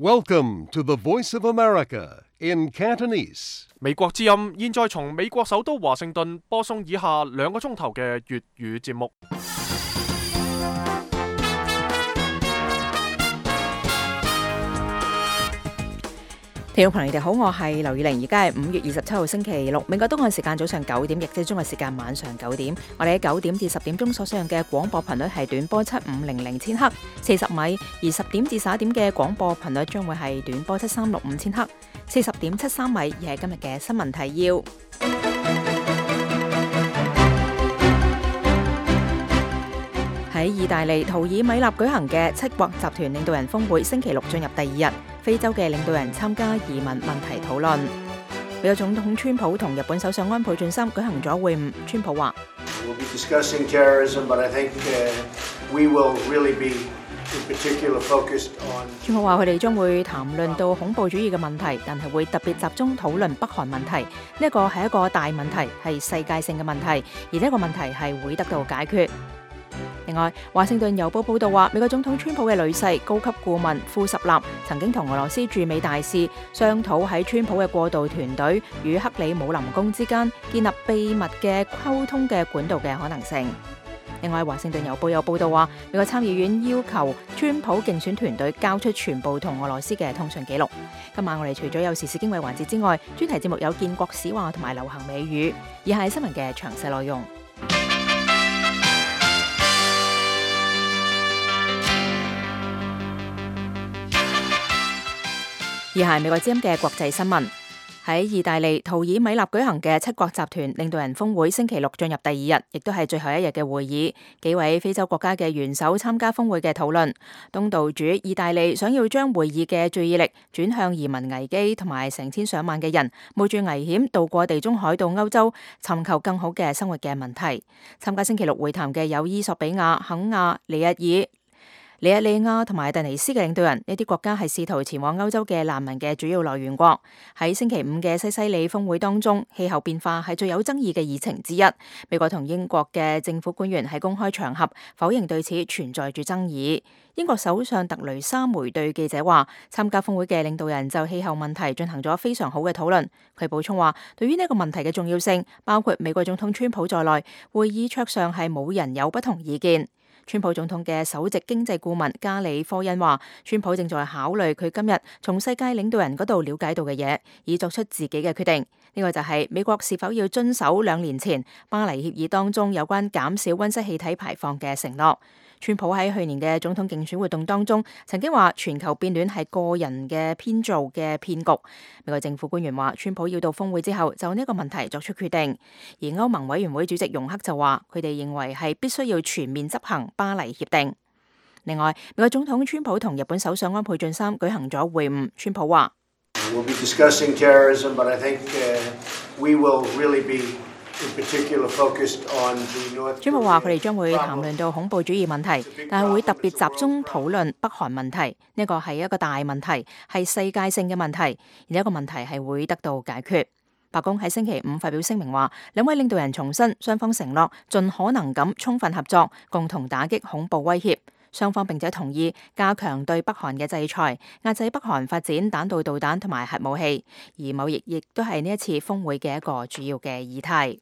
Welcome to the Voice of America in Cantonese. 美國之音現在從美國首都華盛頓播送以下2個鐘頭嘅粵語節目。聽眾朋友，你哋好，我係劉宇玲，而家係5月27號星期六，美國東岸時間早上9點，亦即係中國時間晚上9點。我哋喺9點至10點鐘所使用嘅廣播頻率係短波7500千赫40米，而10點至11點嘅廣播頻率將會係短波7365千赫40.73米，而係今日嘅新聞提要。喺意大利圖爾米納舉行嘅7國集團領導人峰會星期六進入第2日，非洲嘅領導人參加移民問題討論。美國總統川普同日本首相安倍晉三舉行咗會晤。川普話：川普話佢哋將會談論到恐怖主義嘅問題，但係會特別集中討論北韓問題。呢一個係一個大問題，係世界性嘅問題，而呢一個問題係會得到解決。另外，華盛頓郵報報道話，美國總統川普嘅女婿高級顧問庫什納曾經同俄羅斯駐美大使商討喺川普嘅過渡團隊與克里姆林宮之間建立秘密嘅溝通嘅管道嘅可能性。另外，華盛頓郵報有報道話，美國參議院要求川普競選團隊交出全部同俄羅斯嘅通訊記錄。今晚我哋除咗有時事經緯環節之外，專題節目有建國史話同埋流行美語，以下係新聞嘅詳細內容。以下係美國之音嘅國際新聞。喺意大利圖爾米納舉行嘅7國集團領導人峰會星期六進入第2日，亦都係最後一日嘅會議。幾位非洲國家嘅元首參加峰會嘅討論。東道主意大利想要將會議嘅注意力轉向移民危機同埋成千上萬嘅人冒住危險渡過地中海到歐洲尋求更好嘅生活嘅問題。參加星期六會談嘅有伊索比亞、肯亞、尼日爾、尼日利亞同埋突尼斯嘅領導人，呢啲國家係試圖前往歐洲嘅難民嘅主要來源國。喺星期5嘅西西里峰會當中，氣候變化係最有爭議嘅議程之一。美國同英國嘅政府官員喺公開場合否認對此存在住爭議。英國首相特雷莎梅對記者話，參加峰會嘅領導人就氣候問題進行咗非常好嘅討論。佢補充話，對於呢個問題嘅重要性，包括美國總統川普在內，會議桌上係冇人有不同意見。川普總統嘅首席經濟顧問加里科恩話，川普正在考慮佢今日從世界領導人嗰度了解到嘅嘢，以作出自己嘅決定。呢個就係美國是否要遵守2年前巴黎協議當中有關減少溫室氣體排放嘅承諾。川普喺去年嘅總統競選活動當中曾經話，全球變暖係個人嘅編造嘅騙局。美國政府官員話，川普要到峰會之後就呢個問題作出決定。而歐盟委員會主席容克就話，佢哋認為係必須要全面執行巴黎協定。另外，美國總統川普同日本首相安倍晉三舉行咗會晤。川普話：We'll be discussing terrorism, but I think we will really be川普話佢哋將會談論到恐怖主義問題，但係會特別集中討論北韓問題。呢個係一個大問題，係世界性嘅問題，而呢個問題係會得到解決。白宮喺星期5發表聲明話，兩位領導人重申雙方承諾盡可能咁充分合作，共同打擊恐怖威脅。雙方並且同意加強對北韓嘅制裁，壓制北韓發展彈道導彈同埋核武器。而貿易亦都係呢一次峰會嘅一個主要嘅議題。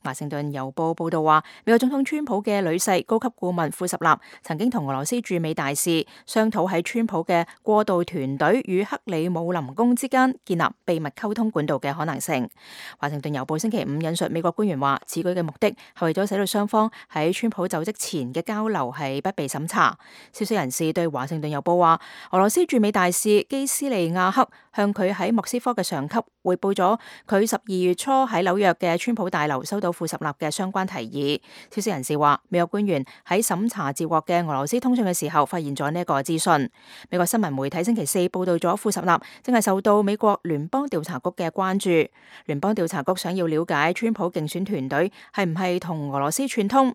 華盛頓郵報報道話，美國總統川普嘅女婿高級顧問庫什納曾經同俄羅斯駐美大使商討喺川普嘅過渡團隊與克里姆林宮之間建立秘密溝通管道嘅可能性。華盛頓郵報星期5引述美國官員話，此舉嘅目的係為咗使到雙方喺川普就職前嘅交流係不被審查。消息人士對華盛頓郵報話，俄羅斯駐美大使基斯利亞克向佢喺莫斯科嘅上級匯報咗佢12月初喺紐約嘅川普大樓收到庫什納嘅相關提議。消息人士話，美國官員喺審查接獲嘅俄羅斯通訊嘅時候，發現咗呢一個資訊。美國新聞媒體星期4報道咗庫什納正係受到美國聯邦調查局嘅關注。聯邦調查局想要了解川普競選團隊係唔係同俄羅斯串通。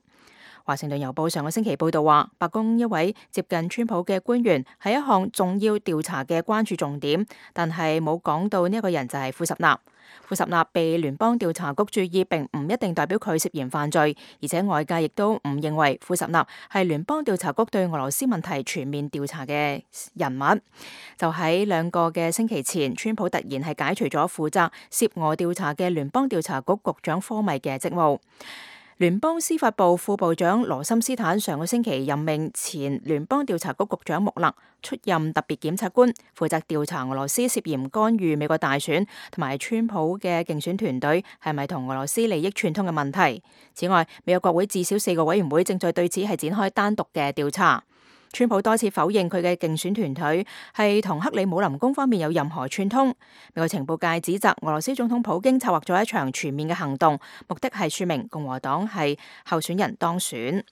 華盛頓郵報上個星期報道話，白宮一位接近川普嘅官員係一項重要調查嘅關注重點，但係冇講到呢一個人就係庫什納。庫什納被聯邦調查局注意，並唔一定代表佢涉嫌犯罪，而且外界亦都唔認為庫什納係聯邦調查局對俄羅斯問題全面調查嘅人物。就喺2個嘅星期前，川普突然係解除咗負責涉俄調查嘅聯邦調查局局長科米嘅職務。聯邦司法部副部長羅森斯坦上個星期任命前聯邦調查局局長穆勒出任特別檢察官，負責調查俄羅斯涉嫌干預美國大選同埋川普嘅競選團隊係咪同俄羅斯利益串通嘅問題。此外，美國國會至少4個委員會正在對此係展開單獨嘅調查。川普多次否認佢嘅競選團隊係同克里姆林宮方面有任何串通。美國情報界指責俄羅斯總統普京策劃咗一場全面嘅行動，目的係說明共和黨係候選人當選。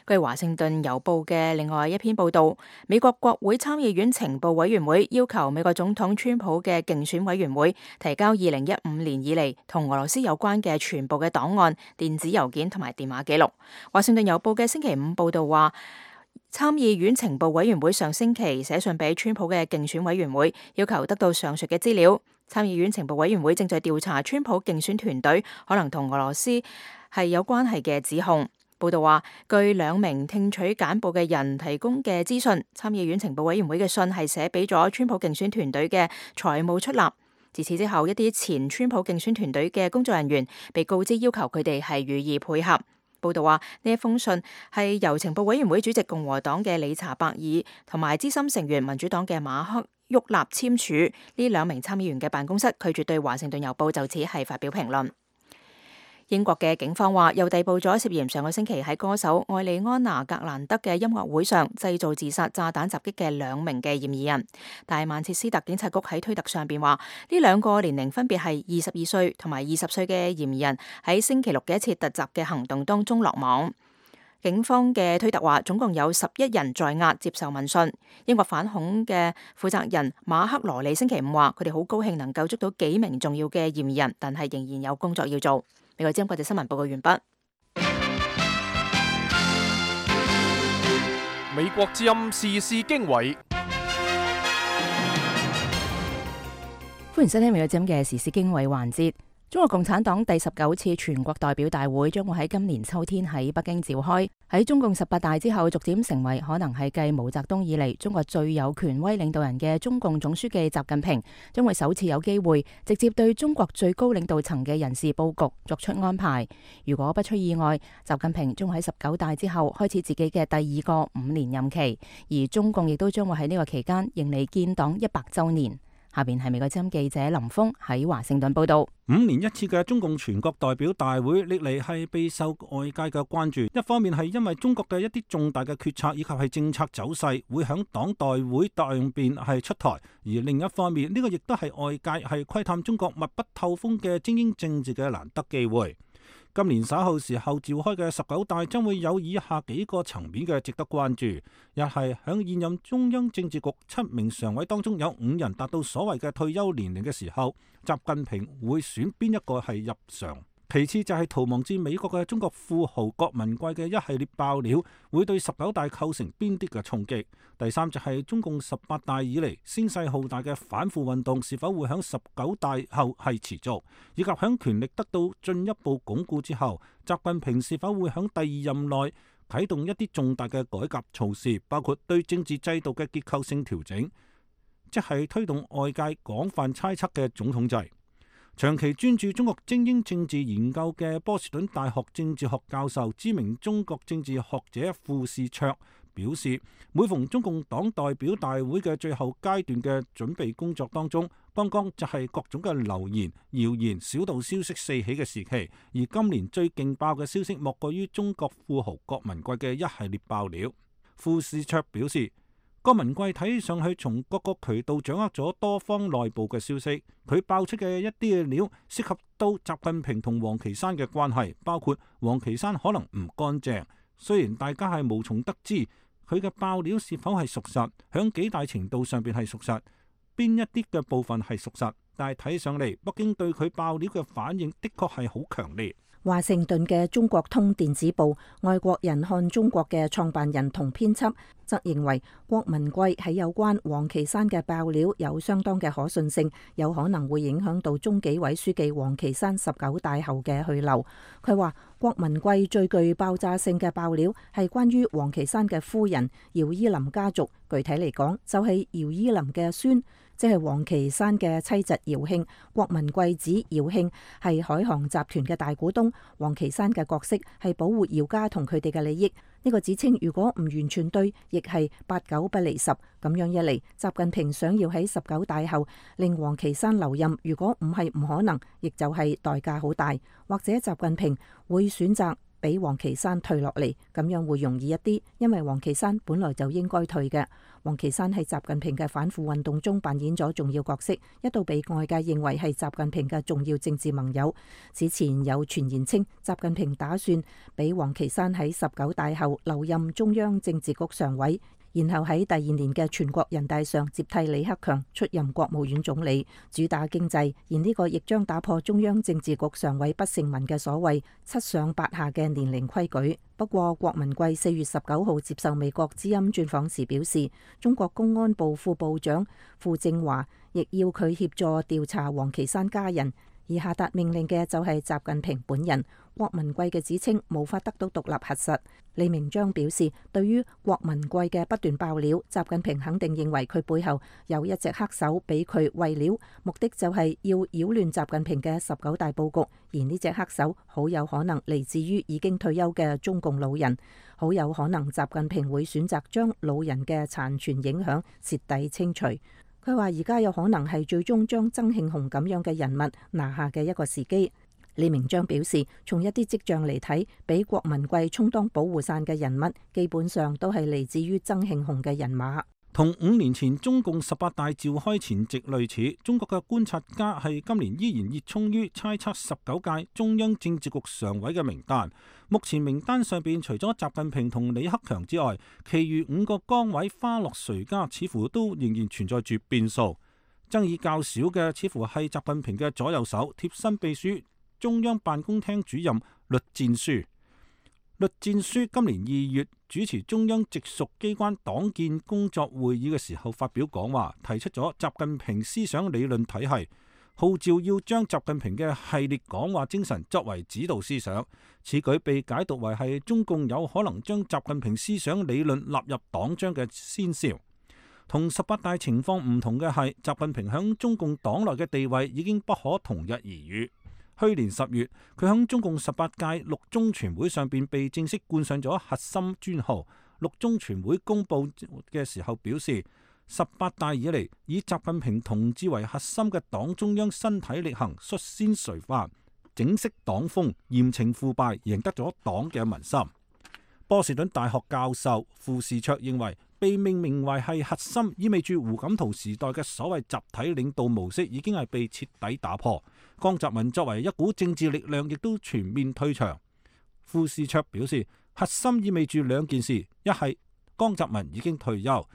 據華盛頓郵報嘅另外一篇報道，美國國會參議院情報委員會要求美國總統川普嘅競選委員會提交2015年以嚟同俄羅斯有關嘅全部嘅檔案、電子郵件同埋電話記錄。華盛頓郵報嘅星期5報道話，參議院情報委員會上星期寫信俾川普嘅競選委員會，要求得到上述嘅資料。參議院情報委員會正在調查川普競選團隊可能同俄羅斯係有關係嘅指控。報道話，據2名聽取簡報嘅人提供嘅資訊，參議院情報委員會嘅信係寫俾咗川普競選團隊嘅財務出納。自此之後，一啲前川普競選團隊嘅工作人員被告知要求佢哋係予以配合。報道話，呢一封信係由情報委員會主席共和黨嘅理查伯爾同埋資深成員民主黨嘅馬克沃納簽署。呢2名參議員嘅辦公室拒絕對華盛頓郵報就此係發表評論。英國嘅警方話，又逮捕咗涉嫌上個星期喺歌手愛莉安娜格蘭德嘅音樂會上製造自殺炸彈襲擊嘅2名嘅嫌疑人。但係曼徹斯特警察局喺推特上邊話，呢2個年齡分別係22歲同埋20歲嘅嫌疑人喺星期6嘅一次突襲嘅行動當中落網。警方嘅推特話，總共有11人在押接受問訊。英國反恐嘅負責人馬克羅利星期5話，佢哋好高興能夠捉到幾名重要嘅嫌疑人，但係仍然有工作要做。美國之音國際新聞報告完畢。美國之音時事經緯，歡迎收聽美國之音嘅時事經緯環節。中國共產黨第19次全國代表大會將會喺今年秋天喺北京召開。喺中共18大之後，逐漸成為可能係繼毛澤東以嚟中國最有權威領導人嘅中共總書記習近平，將會首次有機會直接對中國最高領導層嘅人事佈局作出安排。如果不出意外，習近平將會喺19大之後開始自己嘅第2個5年任期，而中共亦都將會喺呢個期間迎嚟建黨100週年。下邊係美國之音記者林峰喺華盛頓報道。5年一次嘅中共全國代表大會歷嚟係備受外界嘅關注，一方面係因為中國嘅一啲重大嘅決策以及係政策走勢會響黨代會上邊係出台，而另一方面呢個亦都係外界係窺探中國密不透風嘅精英政治嘅難得機會。今年稍後時候召開嘅19大將會有以下幾個層面嘅值得關注：一係響現任中央政治局7名常委當中有5人達到所謂嘅退休年齡嘅時候，習近平會選邊一個係入常？其次就係逃亡至美國嘅中國富豪郭文貴嘅一系列爆料，會對19大構成邊啲嘅衝擊？第三就係中共18大以嚟聲勢浩大嘅反腐運動是否會響19大後係持續，以及響權力得到進一步鞏固之後，習近平是否會響第2任內啟動一啲重大嘅改革措施，包括對政治制度嘅結構性調整，即係推動外界廣泛猜測嘅總統制。長期專注中國精英政治研究嘅波士頓大學政治學教授、知名中國政治學者傅士綽表示，每逢中共黨代表大會嘅最後階段嘅準備工作當中，剛剛就係各種嘅流言、謠言、小道消息四起嘅時期，而今年最勁爆嘅消息莫過於中國富豪郭文貴嘅一系列爆料。傅士綽表示，郭文貴睇上去從各個渠道掌握咗多方內部嘅消息，佢爆出嘅一啲嘅料涉及到習近平同王岐山嘅關係，包括王岐山可能唔乾淨。雖然大家係無從得知佢嘅爆料是否係屬實，響幾大程度上邊係屬實，邊一啲嘅部分係屬實，但係睇上嚟北京對佢爆料嘅反應的確係好強烈。華盛頓嘅中國通電子報《外國人看中國》嘅創辦人同編輯則認為，郭文貴喺有關王岐山嘅爆料有相當嘅可信性，有可能會影響到中紀委書記王岐山19大後嘅去留。佢話郭文貴最具爆炸性嘅爆料係關於王岐山嘅夫人姚依林家族，具體嚟講就係姚依林嘅孫，即係王岐山嘅妻侄姚慶。郭文貴指姚慶係海航集團嘅大股東，王岐山嘅角色係保護姚家同佢哋嘅利益。呢個指稱如果唔完全對，亦係8九不離10。咁樣一嚟，習近平想要喺19大後令王岐山留任，如果唔係唔可能，亦就係代價好大。或者習近平會選擇俾王岐山退落嚟，咁樣會容易一啲，因為王岐山本來就應該退嘅。王岐山喺習近平嘅反腐運動中扮演咗重要角色，一度被外界認為係習近平嘅重要政治盟友。此前有傳言稱，習近平打算俾王岐山喺19大後留任中央政治局常委，然後喺第2年嘅全國人大上接替李克強出任國務院總理，主打經濟。而呢個亦將打破中央政治局常委不成文嘅所謂7上8下嘅年齡規矩。不過，郭文貴4月19號接受美國之音專訪時表示，中國公安部副部長傅政華亦要佢協助調查王岐山家人，而下達命令嘅就係習近平本人。郭文貴嘅指稱無法得到獨立核實。李明章表示，對於郭文貴嘅不斷爆料，習近平肯定認為佢背後有一隻黑手俾佢餵料，目的就係要擾亂習近平嘅19大佈局。而呢隻黑手好有可能嚟自於已經退休嘅中共老人，好有可能習近平會選擇將老人嘅殘存影響徹底清除。佢話而家有可能係最終將曾慶紅咁樣嘅人物拿下嘅一個時機。李明章表示，從一啲跡象嚟睇，俾郭文貴充當保護傘嘅人物，基本上都係嚟自於曾慶紅嘅人馬。同5年前中共18大召開前夕類似，中國嘅觀察家係今年依然熱衷於猜測19屆中央政治局常委嘅名單。目前名單上邊除咗習近平同李克強之外，其餘5個崗位花落誰家，似乎都仍然存在住變數。爭議較少嘅似乎係習近平嘅左右手、貼身秘書、中央辦公廳主任栗戰書。栗戰書今年2月主持中央直屬機關黨建工作會議嘅時候發表講話，提出咗習近平思想理論體系，號召要將習近平嘅系列講話精神作為指導思想。此舉被解讀為係中共有可能將習近平思想理論納入黨章嘅先兆。同18大情況唔同嘅係，習近平響中共黨內嘅地位已經不可同日而語。去年10月，佢響中共18屆六中全會上邊被正式冠上咗核心專號。六中全會公佈嘅時候表示，18大以嚟以習近平同志為核心嘅黨中央身體力行，率先垂範，整飾黨風，嚴懲腐敗，贏得咗黨嘅民心。波士頓大學教授傅士卓認為，被命名為係核心，意味住胡錦濤時代嘅所謂集體領導模式已經係被徹底打破。江澤民作為一股政治力量，亦都全面退場。傅士卓表示，核心意味住2件事：一係江澤民已經退休，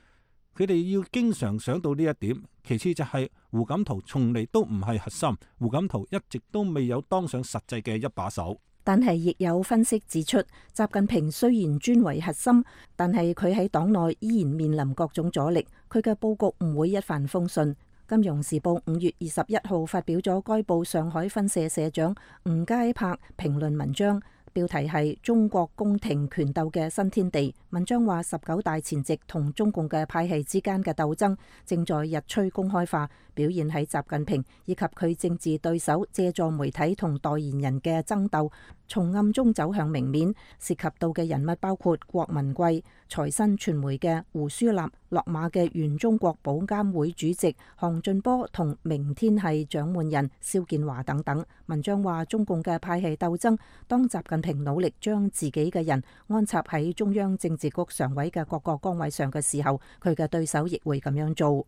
佢哋要經常想到呢一點；其次就係胡錦濤從嚟都唔係核心，胡錦濤一直都未有當上實際嘅一把手。但係亦有分析指出，習近平雖然專為核心，但係佢喺黨內依然面臨各種阻力，佢嘅佈局唔會一帆風順。金融時報5月21號發表咗該報上海分社社長吳佳柏評論文章，標題係中國宮廷權鬥嘅新天地。文章話19大前夕同中共嘅派系之間嘅鬥爭正在日趨公開化，表現喺習近平以及佢政治對手借助媒體同代言人嘅爭鬥，從暗中走向明面。涉及到嘅人物包括郭文貴、財新傳媒嘅胡舒立、落馬嘅原中國保監會主席項俊波同明天系掌門人肖建華等等。文章話中共嘅派系鬥爭，當習近平努力將自己嘅人安插喺中央政治局常委嘅各個崗位上嘅時候，佢嘅對手亦會咁樣做。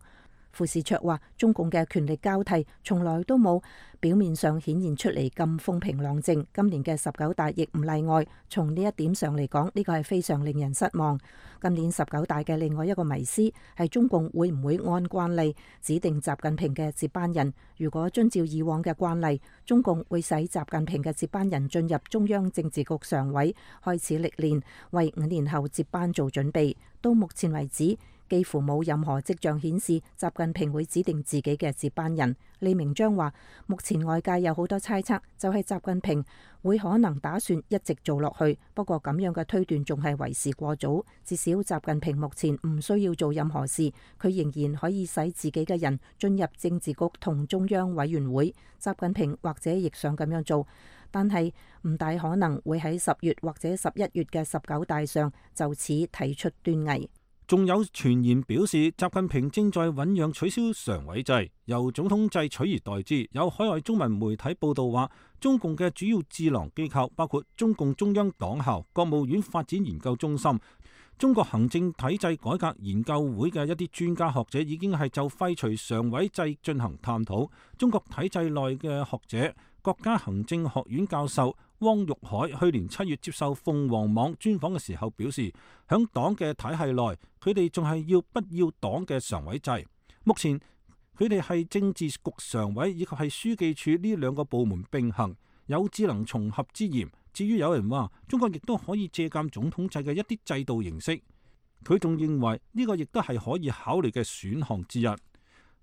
傅士卓話：中共嘅權力交替從來都冇表面上顯現出嚟咁風平浪靜，今年嘅19大亦唔例外。從呢一點上嚟講，呢個係非常令人失望。今年19大嘅另外一個迷思係中共會唔會按慣例指定習近平嘅接班人？如果遵照以往嘅慣例，中共會使習近平嘅接班人進入中央政治局常委，開始歷練，為5年後接班做準備。到目前為止，幾乎冇任何跡象顯示習近平會指定自己嘅接班人。李明章話：目前外界有好多猜測，就係習近平會可能打算一直做落去。不過咁樣嘅推斷仲係為時過早。至少習近平目前唔需要做任何事，佢仍然可以使自己嘅人進入政治局同中央委員會。習近平或者亦想咁樣做，但係唔大可能會喺10月或者11月嘅19大上就此提出端倪。仲有傳言表示，習近平正在醞釀取消常委制，由總統制取而代之。有海外中文媒體報道話，中共嘅主要智囊機構包括中共中央黨校、國務院發展研究中心、中國行政體制改革研究會嘅一啲專家學者已經係就廢除常委制進行探討。中國體制內嘅學者，國家行政學院教授汪玉海去年7月接受鳳凰網專訪嘅時候表示，響黨嘅體系內，佢哋仲係要不要黨嘅常委制。目前佢哋係政治局常委以及係書記處呢兩個部門並行，有智能重合之嫌。至於有人話中國亦都可以借鑑總統制嘅一啲制度形式，佢仲認為呢個亦都係可以考慮嘅選項之一。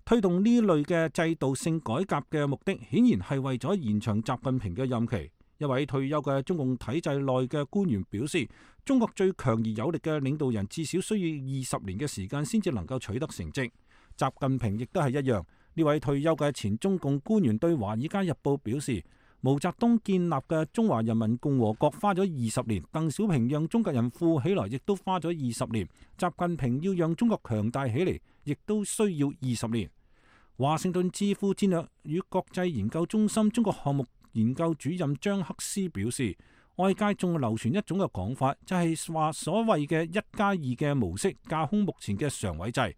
推動呢類嘅制度性改革嘅目的，顯然係為咗延長習近平嘅任期。一位退休嘅中共體制內嘅官員表示，中國最強而有力嘅領導人至少需要20年嘅時間先至能夠取得成績。習近平亦都係一樣。呢位退休嘅前中共官員對《華爾街日報》表示，毛澤東建立嘅中華人民共和國花咗20年，鄧小平讓中國人富起來亦都花咗20年，習近平要讓中國強大起嚟，亦都需要20年。華盛頓智庫戰略與國際研究中心中國項目研究主任張克斯表示，外界仲流傳一種嘅講法，就係話所謂嘅1+2嘅模式架空目前嘅常委制。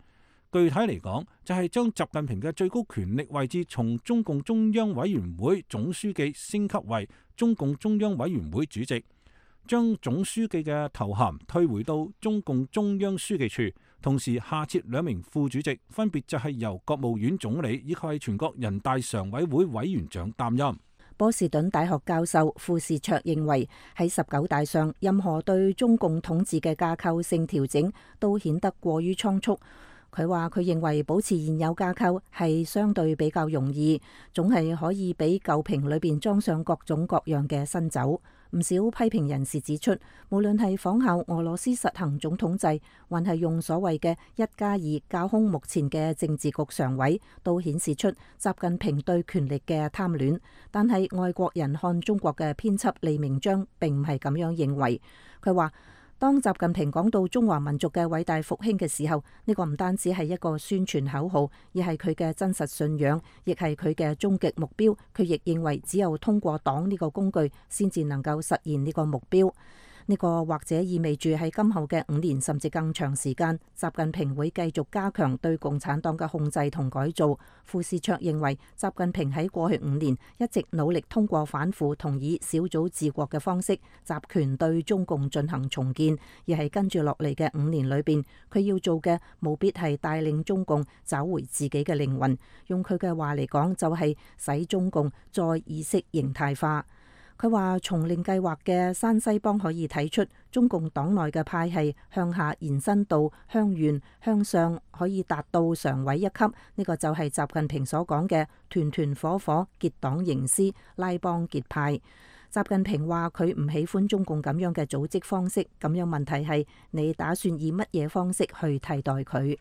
具體嚟講，就係將習近平嘅最高權力位置從中共中央委員會總書記升級為中共中央委員會主席，將總書記嘅頭銜退回到中共中央書記處，同時下設2名副主席，分別就係由國務院總理以及係全國人大常委會委員長擔任。波士頓大學教授傅士卓認為，喺19大上，任何對中共統治嘅架構性調整都顯得過於倉促。佢話佢認為保持現有架構係相對比較容易，總係可以俾舊瓶裏邊裝上各種各樣嘅新酒。唔少批評人士指出，無論係仿效俄羅斯實行總統制，還係用所謂嘅1+2架空目前嘅政治局常委，都顯示出習近平對權力嘅貪戀。但係外國人看中國嘅編輯李明章並唔係咁樣認為。佢話，當習近平講到中華民族嘅偉大復興嘅時候，呢個唔單止係一個宣傳口號，而係佢嘅真實信仰，亦係佢嘅終極目標。佢亦認為只有通過黨呢個工具，先至能夠實現呢個目標。呢個或者意味住喺今後嘅5年甚至更長時間，習近平會繼續加強對共產黨嘅控制同改造。傅士卓認為，習近平喺過去5年一直努力通過反腐同以小組治國嘅方式集權對中共進行重建，而係跟住落嚟嘅5年裏邊，佢要做嘅務必係帶領中共找回自己嘅靈魂。用佢嘅話嚟講，就係使中共再意識形態化。佢話，從令計劃嘅山西幫可以睇出，中共黨內嘅派系向下延伸到鄉縣，向上可以達到常委一級。呢個就係習近平所講嘅團團伙伙結黨營私，拉幫結派。習近平話佢唔喜歡中共咁樣嘅組織方式，咁樣問題係你打算以乜嘢方式去替代佢？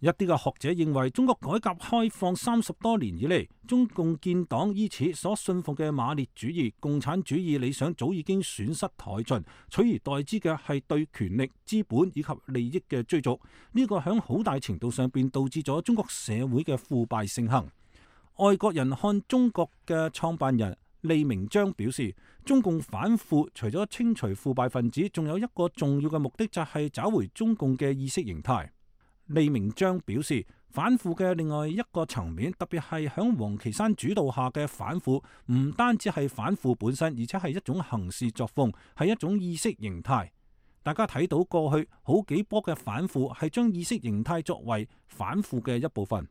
一啲嘅學者認為，中國改革開放30多年以嚟，中共建黨依此所信奉嘅馬列主義、共產主義理想早已經損失殆盡，取而代之嘅係對權力、資本以及利益嘅追逐。呢個響好大程度上邊導致咗中國社會嘅腐敗盛行。外國人看中國嘅創辦人李明章表示，中共反腐除咗清除腐敗分子，仲有一個重要嘅目的就係找回中共嘅意識形態。李明章表示，反腐嘅另外一個層面，特別係響王岐山主導下嘅反腐，唔單止係反腐本身，而且係一種行事作風，係一種意識形態。大家睇到過去好幾波嘅反腐係將意識形態作為反腐嘅一部分。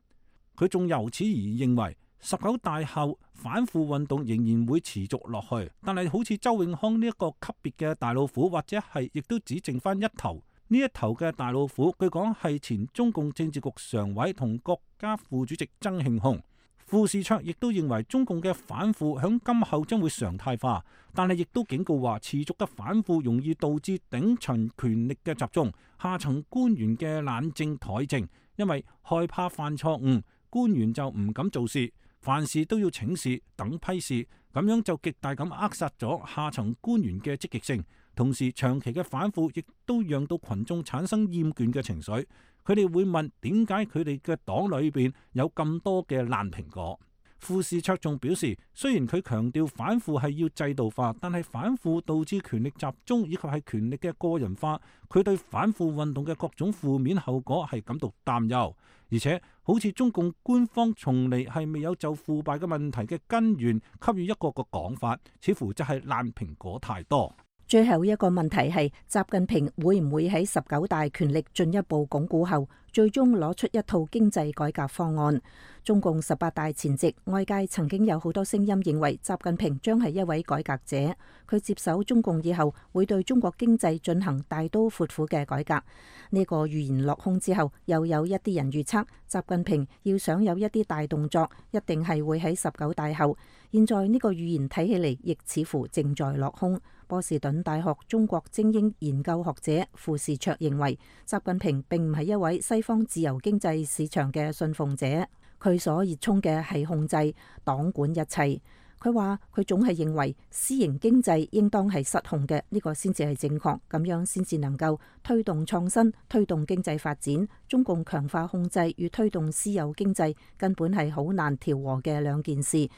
佢仲由此而認為19大後反腐運動仍然會持續落去，但係好似周永康呢一個級別嘅大老虎，或者係亦都只剩翻一頭。呢一頭嘅大老虎，據講係前中共政治局常委同國家副主席曾慶紅。傅士卓亦都認為中共嘅反腐響今後將會常態化，但係亦都警告話持續嘅反腐容易導致頂層權力嘅集中，下層官員嘅懶政怠政，因為害怕犯錯誤，官員就唔敢做事，凡事都要請示等批示，咁樣就極大咁扼殺咗下層官員嘅積極性。同時長期嘅反腐亦都讓到群眾產生厭倦嘅情緒，佢哋會問點解佢哋嘅黨裏邊有咁多嘅爛蘋果。傅士卓仲表示，雖然佢強調反腐係要制度化，但係反腐導致權力集中以及係權力嘅個人化，佢對反腐運動嘅各種負面後果係感到擔憂。而且好似中共官方從嚟係未有就腐敗嘅問題嘅根源給予一個講法，似乎就係爛蘋果太多。最後一個問題係習近平會唔會喺19大權力進一步鞏固後，最終攞出一套經濟改革方案？中共18大前夕，外界曾經有好多聲音認為習近平將係一位改革者，佢接手中共以後會對中國經濟進行大刀闊斧嘅改革。呢個預言落空之後，又有一啲人預測習近平要想有一啲大動作，一定係會喺19大後。現在呢個預言睇起嚟，亦似乎正在落空。波士頓大學中國精英研究學者傅士卓認為，習近平並唔係一位西方自由經濟市場嘅信奉者，佢所熱衷嘅係控制、黨管一切。佢話佢總係認為私營經濟應當係失控嘅，呢個先至係正確，咁樣先至能夠推動創新、推動經濟發展。中共強化控制與推動私有經濟根本係好難調和嘅兩件事。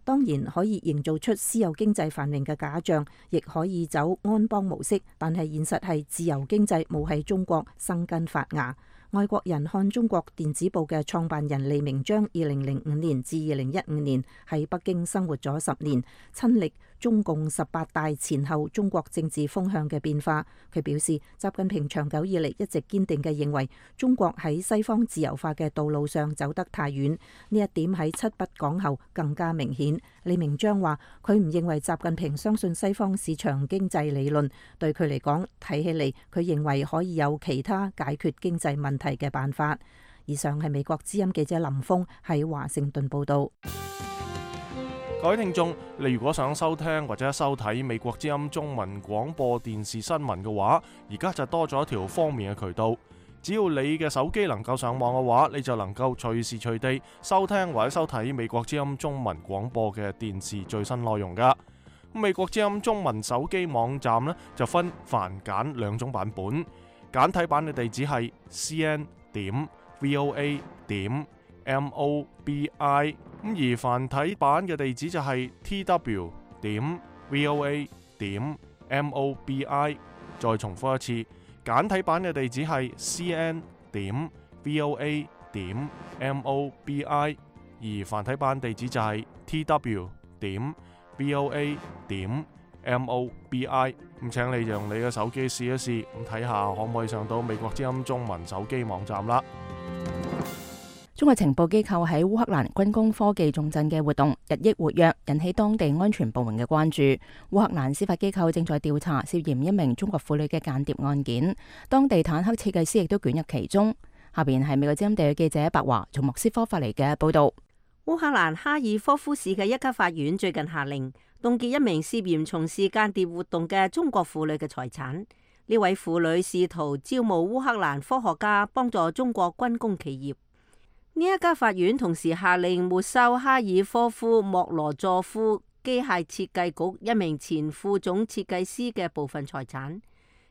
當然可以營造出私有經濟繁榮嘅假象，亦可以走安邦模式，但係現實係自由經濟冇喺中國生根發芽。外國人看中國電子報嘅創辦人李明章2005年至2015年喺北京生活咗10年，親歷中共18大前後中國政治風向嘅變化。佢表示，習近平長久以嚟一直堅定嘅認為中國喺西方自由化嘅道路上走得太遠，呢一點喺七不講後更加明顯。李明章話佢唔認為習近平相信西方市場經濟理論，對佢嚟講睇起嚟佢認為可以有其他解決經濟問題嘅辦法。以上係美國之音記者林峰喺華盛頓報道。各位聽眾，你如果想收聽或者收睇美國之音中文廣播電視新聞嘅話，而家就多咗一條方便嘅渠道。只要你嘅手機能夠上網嘅話，你就能夠隨時隨地收聽或者收睇美國之音中文廣播嘅電視最新內容噶。美國之音中文手機網站呢，就分繁簡兩種版本，簡體版嘅地址係 cn.voa.mobi， 而繁體版嘅地址就係 tw.voa.mobi。 再重複一次，簡體版嘅地址係 cn.voa.mobi， 而繁體版地址就係 tw.voa.mobi。 咁請你用你嘅手機試一試，咁睇下可唔可以上到美國之音中文手機網站啦。中國情報機構喺烏克蘭軍工科技重鎮嘅活動日益活躍，引起當地安全部門嘅關注。烏克蘭司法機構正在調查涉嫌一名中國婦女嘅間諜案件，當地坦克設計師亦都捲入其中。下邊係美國之音地區記者白華從莫斯科發嚟嘅報道。烏克蘭哈爾科夫市嘅一級法院最近下令凍結一名涉嫌從事間諜活動嘅中國婦女嘅財產。呢位婦女試圖招募烏克蘭科學家幫助中國軍工企業。呢一家法院同時下令沒收哈爾科夫莫羅佐夫機械設計局一名前副總設計師嘅部分財產，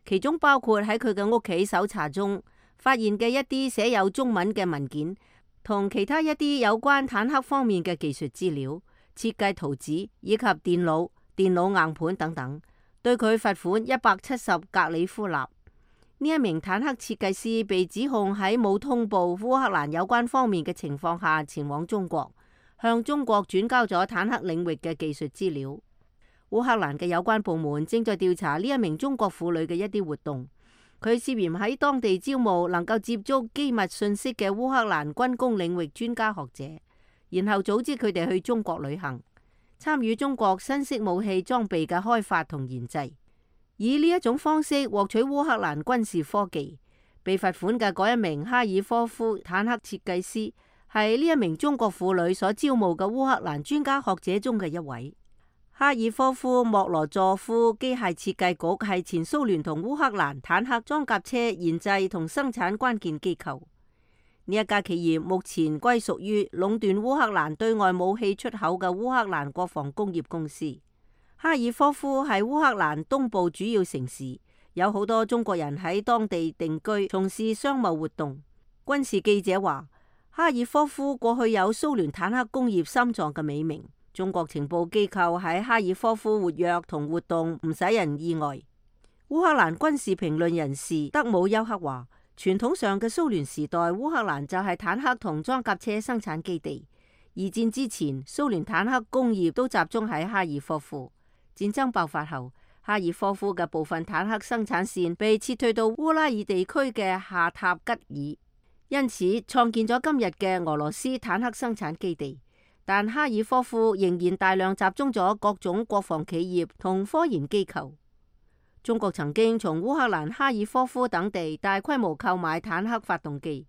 其中包括喺佢嘅屋企搜查中發現嘅一啲寫有中文嘅文件，同其他一啲有關坦克方面嘅技術資料、設計圖紙以及電腦硬盤等等，對佢罰款170格里夫納。呢一名坦克設計師被指控喺冇通報烏克蘭有關方面嘅情況下前往中國，向中國轉交咗坦克領域嘅技術資料。烏克蘭嘅有關部門正在調查呢一名中國婦女嘅一啲活動，佢涉嫌喺當地招募能夠接觸機密信息嘅烏克蘭軍工領域專家學者，然後組織佢哋去中國旅行，參與中國新式武器裝備嘅開發同研製，以呢一種方式獲取烏克蘭軍事科技。被罰款嘅嗰一名哈爾科夫坦克設計師係呢一名中國婦女所招募嘅烏克蘭專家學者中嘅一位。哈爾科夫莫羅佐夫機械設計局係前蘇聯同烏克蘭坦克裝甲車研製同生產關鍵機構。呢一家企業目前歸屬於壟斷烏克蘭對外武器出口嘅烏克蘭國防工業公司。哈爾科夫係烏克蘭東部主要城市，有好多中國人喺當地定居，從事商貿活動。軍事記者話，哈爾科夫過去有蘇聯坦克工業心臟嘅美名。中國情報機構喺哈爾科夫活躍同活動唔使人意外。烏克蘭軍事評論人士德姆丘克話，傳統上嘅蘇聯時代，烏克蘭就係坦克同裝甲車生產基地。二戰之前，蘇聯坦克工業都集中喺哈爾科夫。戰爭爆發後，哈爾科夫嘅部分坦克生產線被撤退到烏拉爾地區嘅夏塔吉爾，因此創建咗今日嘅俄羅斯坦克生產基地。但哈爾科夫仍然大量集中咗各種國防企業同科研機構。中國曾經從烏克蘭哈爾科夫等地大規模購買坦克發動機，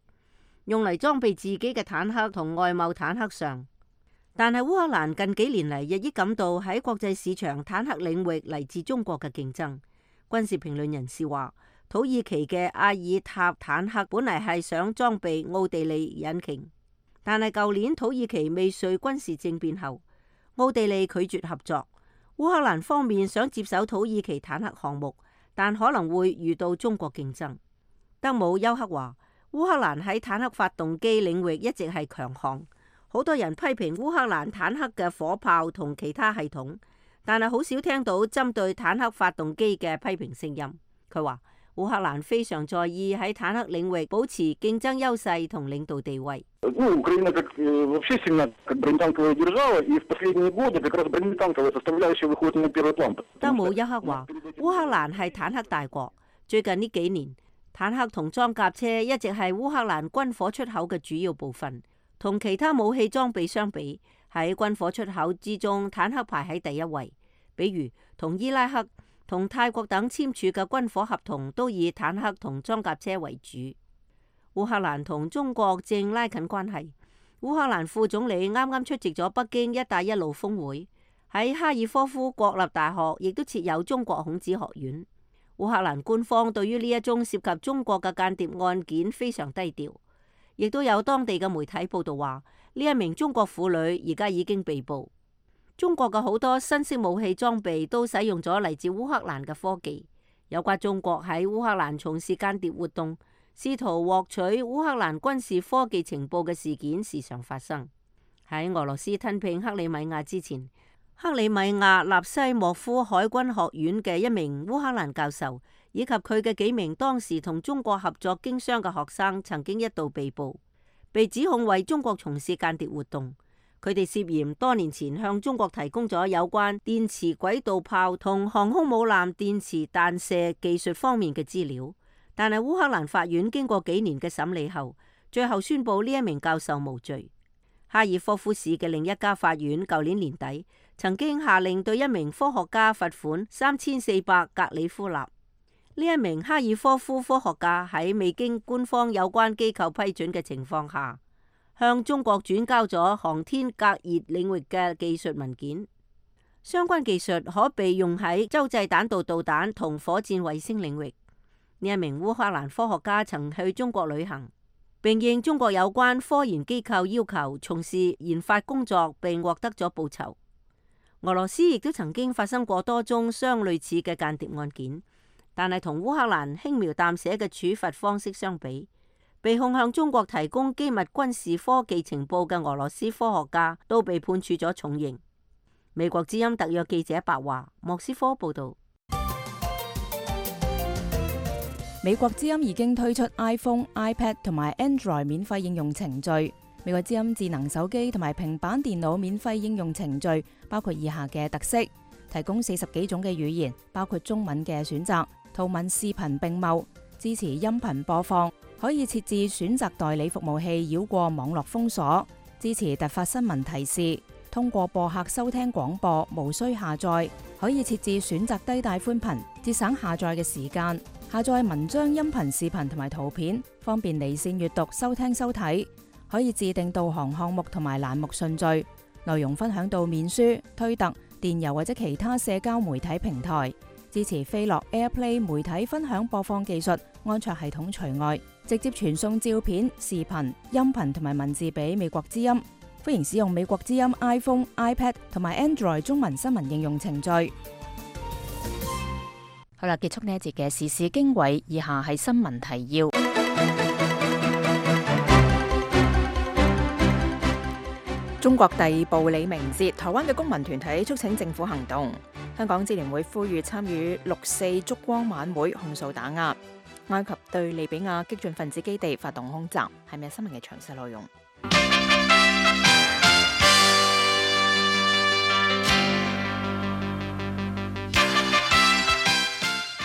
用嚟裝備自己嘅坦克同外貿坦克上。但係烏克蘭近幾年嚟日益感到喺國際市場坦克領域嚟自中國嘅競爭。軍事評論人士話，土耳其嘅阿爾塔坦克本嚟係想裝備奧地利引擎。但係舊年土耳其未遂軍事政變後，奧地利拒絕合作。烏克蘭方面想接手土耳其坦克項目，但可能會遇到中國競爭。德姆丘克話，烏克蘭喺坦克發動機領域一直係強項。好多人批評烏克蘭坦克嘅火炮同其他系統，但係好少聽到針對坦克發動機嘅批評聲音。佢話，烏克蘭非常在意喺坦克領域保持競爭優勢同領導地位。德姆丘克話，烏克蘭係坦克大國，最近呢幾年，坦克同裝甲車一直係烏克蘭軍火出口嘅主要部分。同其他武器裝備相比，喺軍火出口之中，坦克排喺第一位。比如同伊拉克、同泰國等簽署嘅軍火合同都以坦克同裝甲車為主。烏克蘭同中國正拉近關係。烏克蘭副總理啱啱出席咗北京一帶一路峰會，喺哈爾科夫國立大學亦都設有中國孔子學院。烏克蘭官方對於呢一宗涉及中國嘅間諜案件非常低調。亦都有當地嘅媒體報道話，呢一名中國婦女而家已經被捕。中國嘅好多新式武器裝備都使用咗嚟自烏克蘭嘅科技。有關中國喺烏克蘭從事間諜活動，試圖獲取烏克蘭軍事科技情報嘅事件時常發生。喺俄羅斯吞併克里米亞之前，克里米亞納西莫夫海軍學院嘅一名烏克蘭教授，以及佢嘅幾名當時同中國合作經商嘅學生，曾經一度被捕，被指控為中國從事間諜活動。佢哋涉嫌多年前向中國提供咗有關電磁軌道炮同航空母艦電磁彈射技術方面嘅資料。但係烏克蘭法院經過幾年嘅審理後，最後宣布呢一名教授無罪。哈爾科夫市嘅另一家法院舊年年底曾經下令對一名科學家罰款3400格里夫納。呢一名哈爾科夫科學家喺未經官方有關機構批准嘅情況下，向中國轉交咗航天隔熱領域嘅技術文件。相關技術可被用喺洲際彈道導彈同火箭衛星領域。呢一名烏克蘭科學家曾去中國旅行，並應中國有關科研機構要求從事研發工作，並獲得咗報酬。俄羅斯亦都曾經發生過多宗相類似嘅間諜案件，但係同烏克蘭輕描淡寫嘅處罰方式相比，被控向中國提供機密軍事科技情報嘅俄羅斯科學家都被判處咗重刑。美國之音特約記者白華，莫斯科報道。美國之音已經推出 iPhone、iPad 同埋 Android 免費應用程序。美國之音智能手機同埋平板電腦免費應用程序包括以下嘅特色：提供40幾種嘅語言，包括中文嘅選擇，圖文視頻並茂，支持音頻播放，可以設置選擇代理服務器繞過網絡封鎖，支持突發新聞提示，通過播客收聽廣播，無需下載，可以設置選擇低帶寬頻，節省下載嘅時間，下載文章、音頻、視頻同埋圖片，方便離線閱讀、收聽收睇，可以自定導航項目同埋欄目順序，內容分享到面書、推特、電郵或者其他社交媒體平台，支持飛樂 AirPlay 媒體分享播放技術，安卓系統除外，直接傳送照片、視頻、音頻同埋文字俾美國之音。歡迎使用美國之音 iPhone、iPad 同埋 Android 中文新聞應用程序。好啦，結束呢一節嘅時事經緯，以下係新聞提要。中國逮捕李明哲，台灣嘅公民團體促請政府行動。香港支聯會呼籲參與6·4燭光晚會，控訴打壓。埃及對利比亞激進分子基地發動空襲，係咪新聞嘅詳細內容？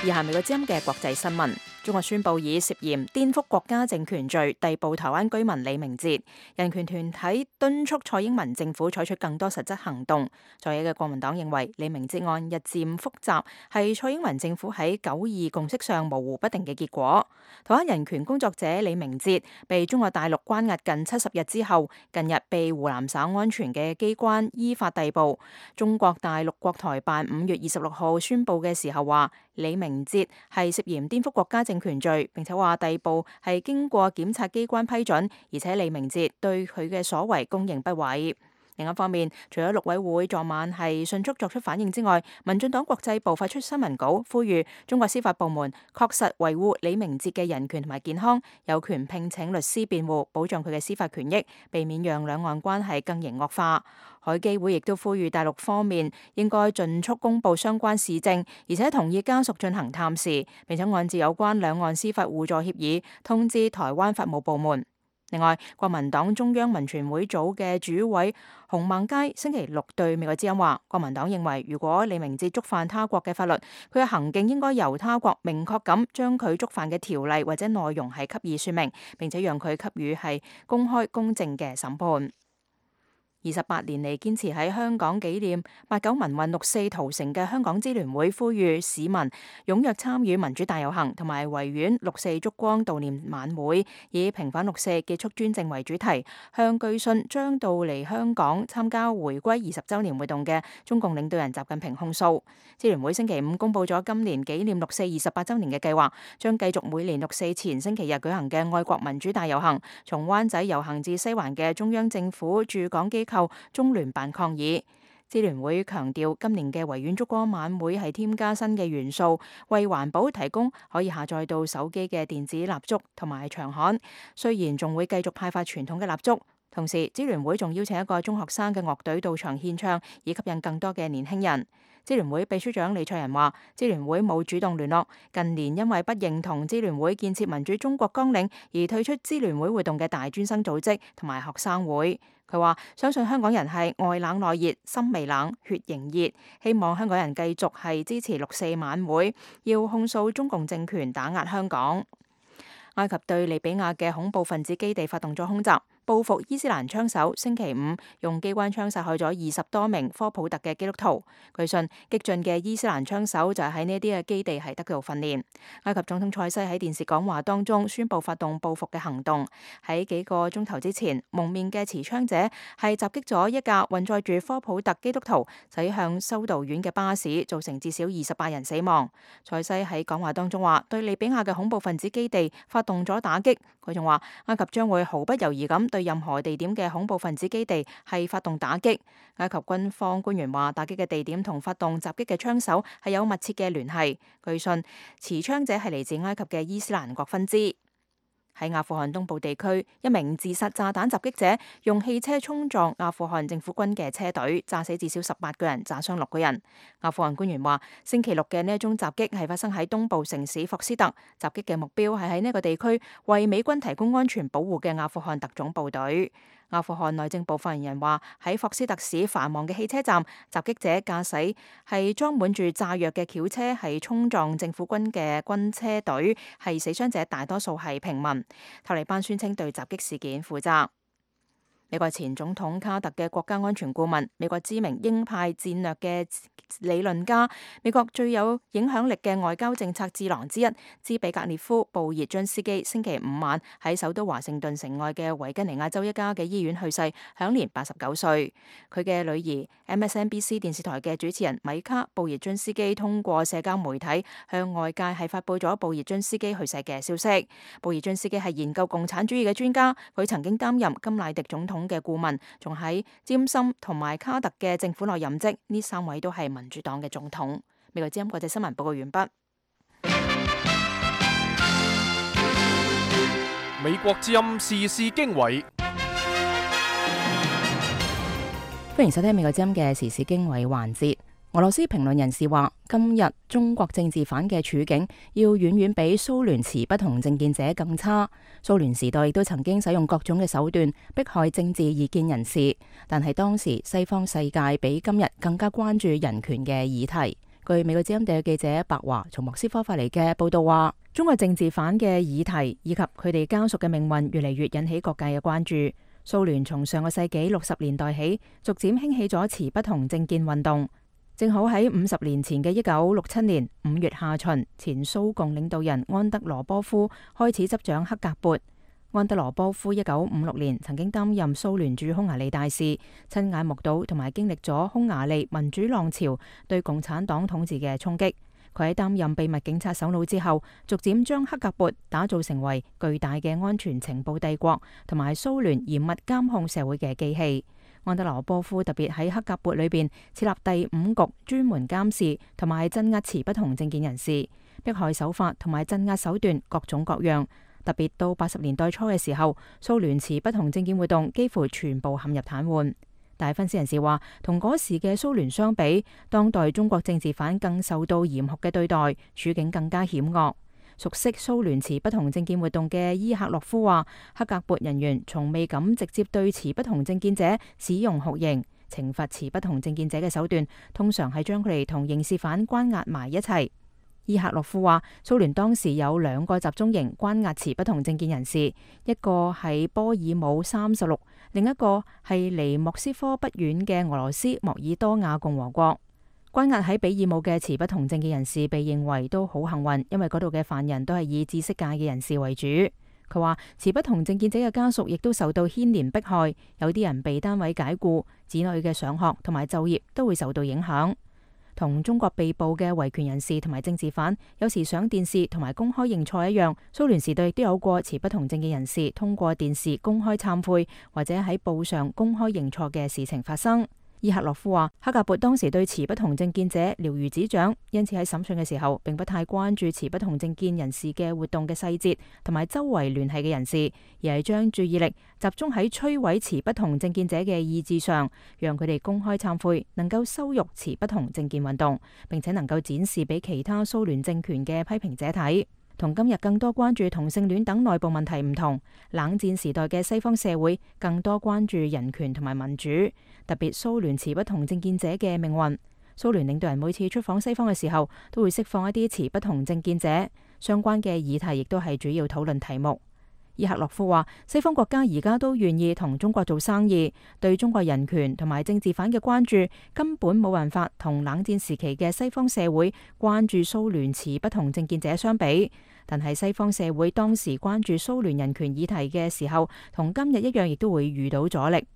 以下美國之音嘅國際新聞。中國宣布以涉嫌顛覆國家政權罪逮捕台灣居民李明哲。人權團體敦促蔡英文政府採取更多實質行動。在野嘅國民黨認為李明哲案日漸複雜，係蔡英文政府喺9·2共識上模糊不定嘅結果。台灣人權工作者李明哲被中國大陸關押近70日之後，近日被湖南省安全嘅機關依法逮捕。中國大陸國台辦5月26號宣布嘅時候話，李明哲係涉嫌顛覆國家政權罪，並且話逮捕係經過檢察機關批准，而且李明哲對佢嘅所為供認不諱。另一方面，除咗陸委會昨晚係迅速作出反應之外，民進黨國際部發出新聞稿，呼籲中國司法部門確實維護李明哲嘅人權同埋健康，有權聘請律師辯護，保障佢嘅司法權益，避免讓兩岸關係更形惡化。海基會亦都呼籲大陸方面應該盡速公布相關事證，而且同意家屬進行探視，並且按照有關兩岸司法互助協議通知台灣法務部門。另外，國民黨中央民權會組嘅主委洪孟佳星期六對美國之音話，國民黨認為如果李明哲觸犯他國嘅法律，佢嘅行徑應該由他國明確咁將佢觸犯嘅條例或者內容係給予說明，並且讓佢給予係公開公正嘅審判。28年嚟堅持喺香港紀念89民運6·4屠城嘅香港支聯會呼籲市民踴躍參與民主大遊行同埋維園6·4燭光悼念晚會，以平反6·4結束專政為主題，向據信將到嚟香港參加回歸20週年活動嘅中共領導人習近平控訴。支聯會星期五公布咗今年紀念6·4 28週年嘅計劃，將繼續每年6·4前星期日舉行嘅愛國民主大遊行，從灣仔遊行至西環嘅中央政府駐港機構中聯辦抗議。支聯會強調，今年嘅維園燭光晚會係添加新嘅元素，為環保提供可以下載到手機嘅電子蠟燭同埋長刊。雖然仲會繼續派發傳統嘅蠟燭，同時支聯會仲邀請一個中學生嘅樂隊到場獻唱，以吸引更多嘅年輕人。支聯會秘書長李卓人話，支聯會冇主動聯絡，近年因為不認同支聯會建設民主中國綱領而退出支聯會活動嘅大專生組織同埋學生會。佢話相信香港人係外冷內熱，心未冷，血仍熱，希望香港人繼續係支持6·4晚會，要控訴中共政權打壓香港。埃及對利比亞嘅恐怖分子基地發動咗空襲，報復伊斯蘭槍手星期五用機關槍殺害咗20多名科普特嘅基督徒。據信激進嘅伊斯蘭槍手就係喺呢啲嘅基地係得到訓練。埃及總統塞西喺電視講話當中宣布發動報復嘅行動。喺幾個鐘頭之前，蒙面嘅持槍者係襲擊咗一架運載住科普特基督徒駛向修道院嘅巴士，造成至少28人死亡。塞西喺講話當中話，對利比亞嘅恐怖分子基地發動咗打擊。佢仲話，埃及將會毫不猶豫咁對任何地點嘅恐怖分子基地係發動打擊。埃及軍方官員話，打擊嘅地點同發動襲擊嘅槍手係有密切嘅聯繫。據信持槍者係嚟自埃及嘅伊斯蘭國分支。喺阿富汗東部地區，一名自殺炸彈襲擊者用汽車衝撞阿富汗政府軍嘅車隊，炸死至少18個人，炸傷6個人。阿富汗官員話，星期六嘅呢一宗襲擊係發生喺東部城市霍斯特，襲擊嘅目標係喺呢個地區為美軍提供安全保護嘅阿富汗特種部隊。阿富汗內政部發言人話，喺霍斯特市繁忙嘅汽車站，襲擊者駕駛係裝滿住炸藥嘅轎車，係衝撞政府軍嘅軍車隊，係死傷者大多數係平民。塔利班宣稱對襲擊事件負責。美國前總統卡特嘅國家安全顧問，美國知名鷹派戰略嘅理論家，美國最有影響力嘅外交政策智囊之一，茲比格列夫·布熱津斯基星期五晚喺首都華盛頓城外嘅維吉尼亞州一家嘅醫院去世，享年89歲。佢嘅女兒 MSNBC 電視台嘅主持人米卡·布熱津斯基通過社交媒體向外界係發佈咗布熱津斯基去世嘅消息。布熱津斯基係研究共產主義嘅專家，佢曾經擔任甘迺迪總統嘅顧問，仲喺詹森同埋卡特嘅政府內任職，呢3位都係民主黨嘅總統。美國之音國際新聞報告完畢。美國之音時事經緯，歡迎收聽美國之音嘅時事經緯環節。俄羅斯評論人士話，今日中國政治犯嘅處境要遠遠比蘇聯持不同政見者更差。蘇聯時代亦都曾經使用各種嘅手段迫害政治異見人士，但係當時西方世界比今日更加關注人權嘅議題。據美國之音特約記者白華從莫斯科發嚟嘅報道話，中國政治犯嘅議題以及佢哋家屬嘅命運越嚟越引起各界嘅關注。蘇聯從上個世紀60年代起，逐漸興起咗持不同政見運動。正好喺50年前嘅1967年5月下旬，前蘇共領導人安德羅波夫開始執掌克格勃。安德羅波夫1956年曾經擔任蘇聯駐匈牙利大使，親眼目睹同埋經歷咗匈牙利民主浪潮對共產黨統治嘅衝擊。佢喺擔任秘密警察首腦之後，逐漸將克格勃打造成為巨大嘅安全情報帝國，同埋蘇聯嚴密監控社會嘅機器。安德羅波夫特別喺克格勃裏邊設立第5局，專門監視同埋鎮壓持不同政見人士，迫害手法同埋鎮壓手段各種各樣。特別到80年代初嘅時候，蘇聯持不同政見活動幾乎全部陷入癱瘓。但係分析人士話，同嗰時嘅蘇聯相比，當代中國政治犯更受到嚴酷嘅對待，處境更加險惡。熟悉蘇聯持不同政見活動嘅伊赫洛夫話，克格勃人員從未敢直接對持不同政見者使用酷刑，懲罰持不同政見者嘅手段通常係將佢哋同刑事犯關押埋一齊。伊赫洛夫話，蘇聯當時有2個集中營關押持不同政見人士，一個係波爾姆36，另一個係離莫斯科不遠嘅俄羅斯莫爾多瓦共和國。關押喺比爾姆嘅持不同政見人士被認為都好幸運，因為嗰度嘅犯人都係以知識界嘅人士為主。佢話持不同政見者嘅家屬亦都受到牽連迫害，有啲人被單位解僱，子女嘅上學同埋就業都會受到影響。同中國被捕嘅維權人士同埋政治犯有時上電視同埋公開認錯一樣，蘇聯時代亦都有過持不同政見人士通過電視公開懺悔或者喺報上公開認錯嘅事情發生。伊赫洛夫話，克格勃當時對持不同政見者了如指掌，因此喺審訊嘅時候並不太關注持不同政見人士嘅活動嘅細節同埋周圍聯繫嘅人士，而係將注意力集中喺摧毀持不同政見者嘅意志上，讓佢哋公開懺悔，能夠羞辱持不同政見運動，並且能夠展示俾其他蘇聯政權嘅批評者睇。同今日更多關注同性戀等內部問題唔同，冷戰時代嘅西方社會更多關注人權同埋民主，特別蘇聯持不同政見者嘅命運。蘇聯領導人每次出訪西方嘅時候，都會釋放一啲持不同政見者，相關嘅議題亦都係主要討論題目。伊赫洛夫話，西方國家而家都願意同中國做生意，對中國人權同埋政治犯嘅關注根本冇辦法同冷戰時期嘅西方社會關注蘇聯持不同政見者相比。但係西方社會當時關注蘇聯人權議題嘅時候，同今日一樣，亦都會遇到阻力。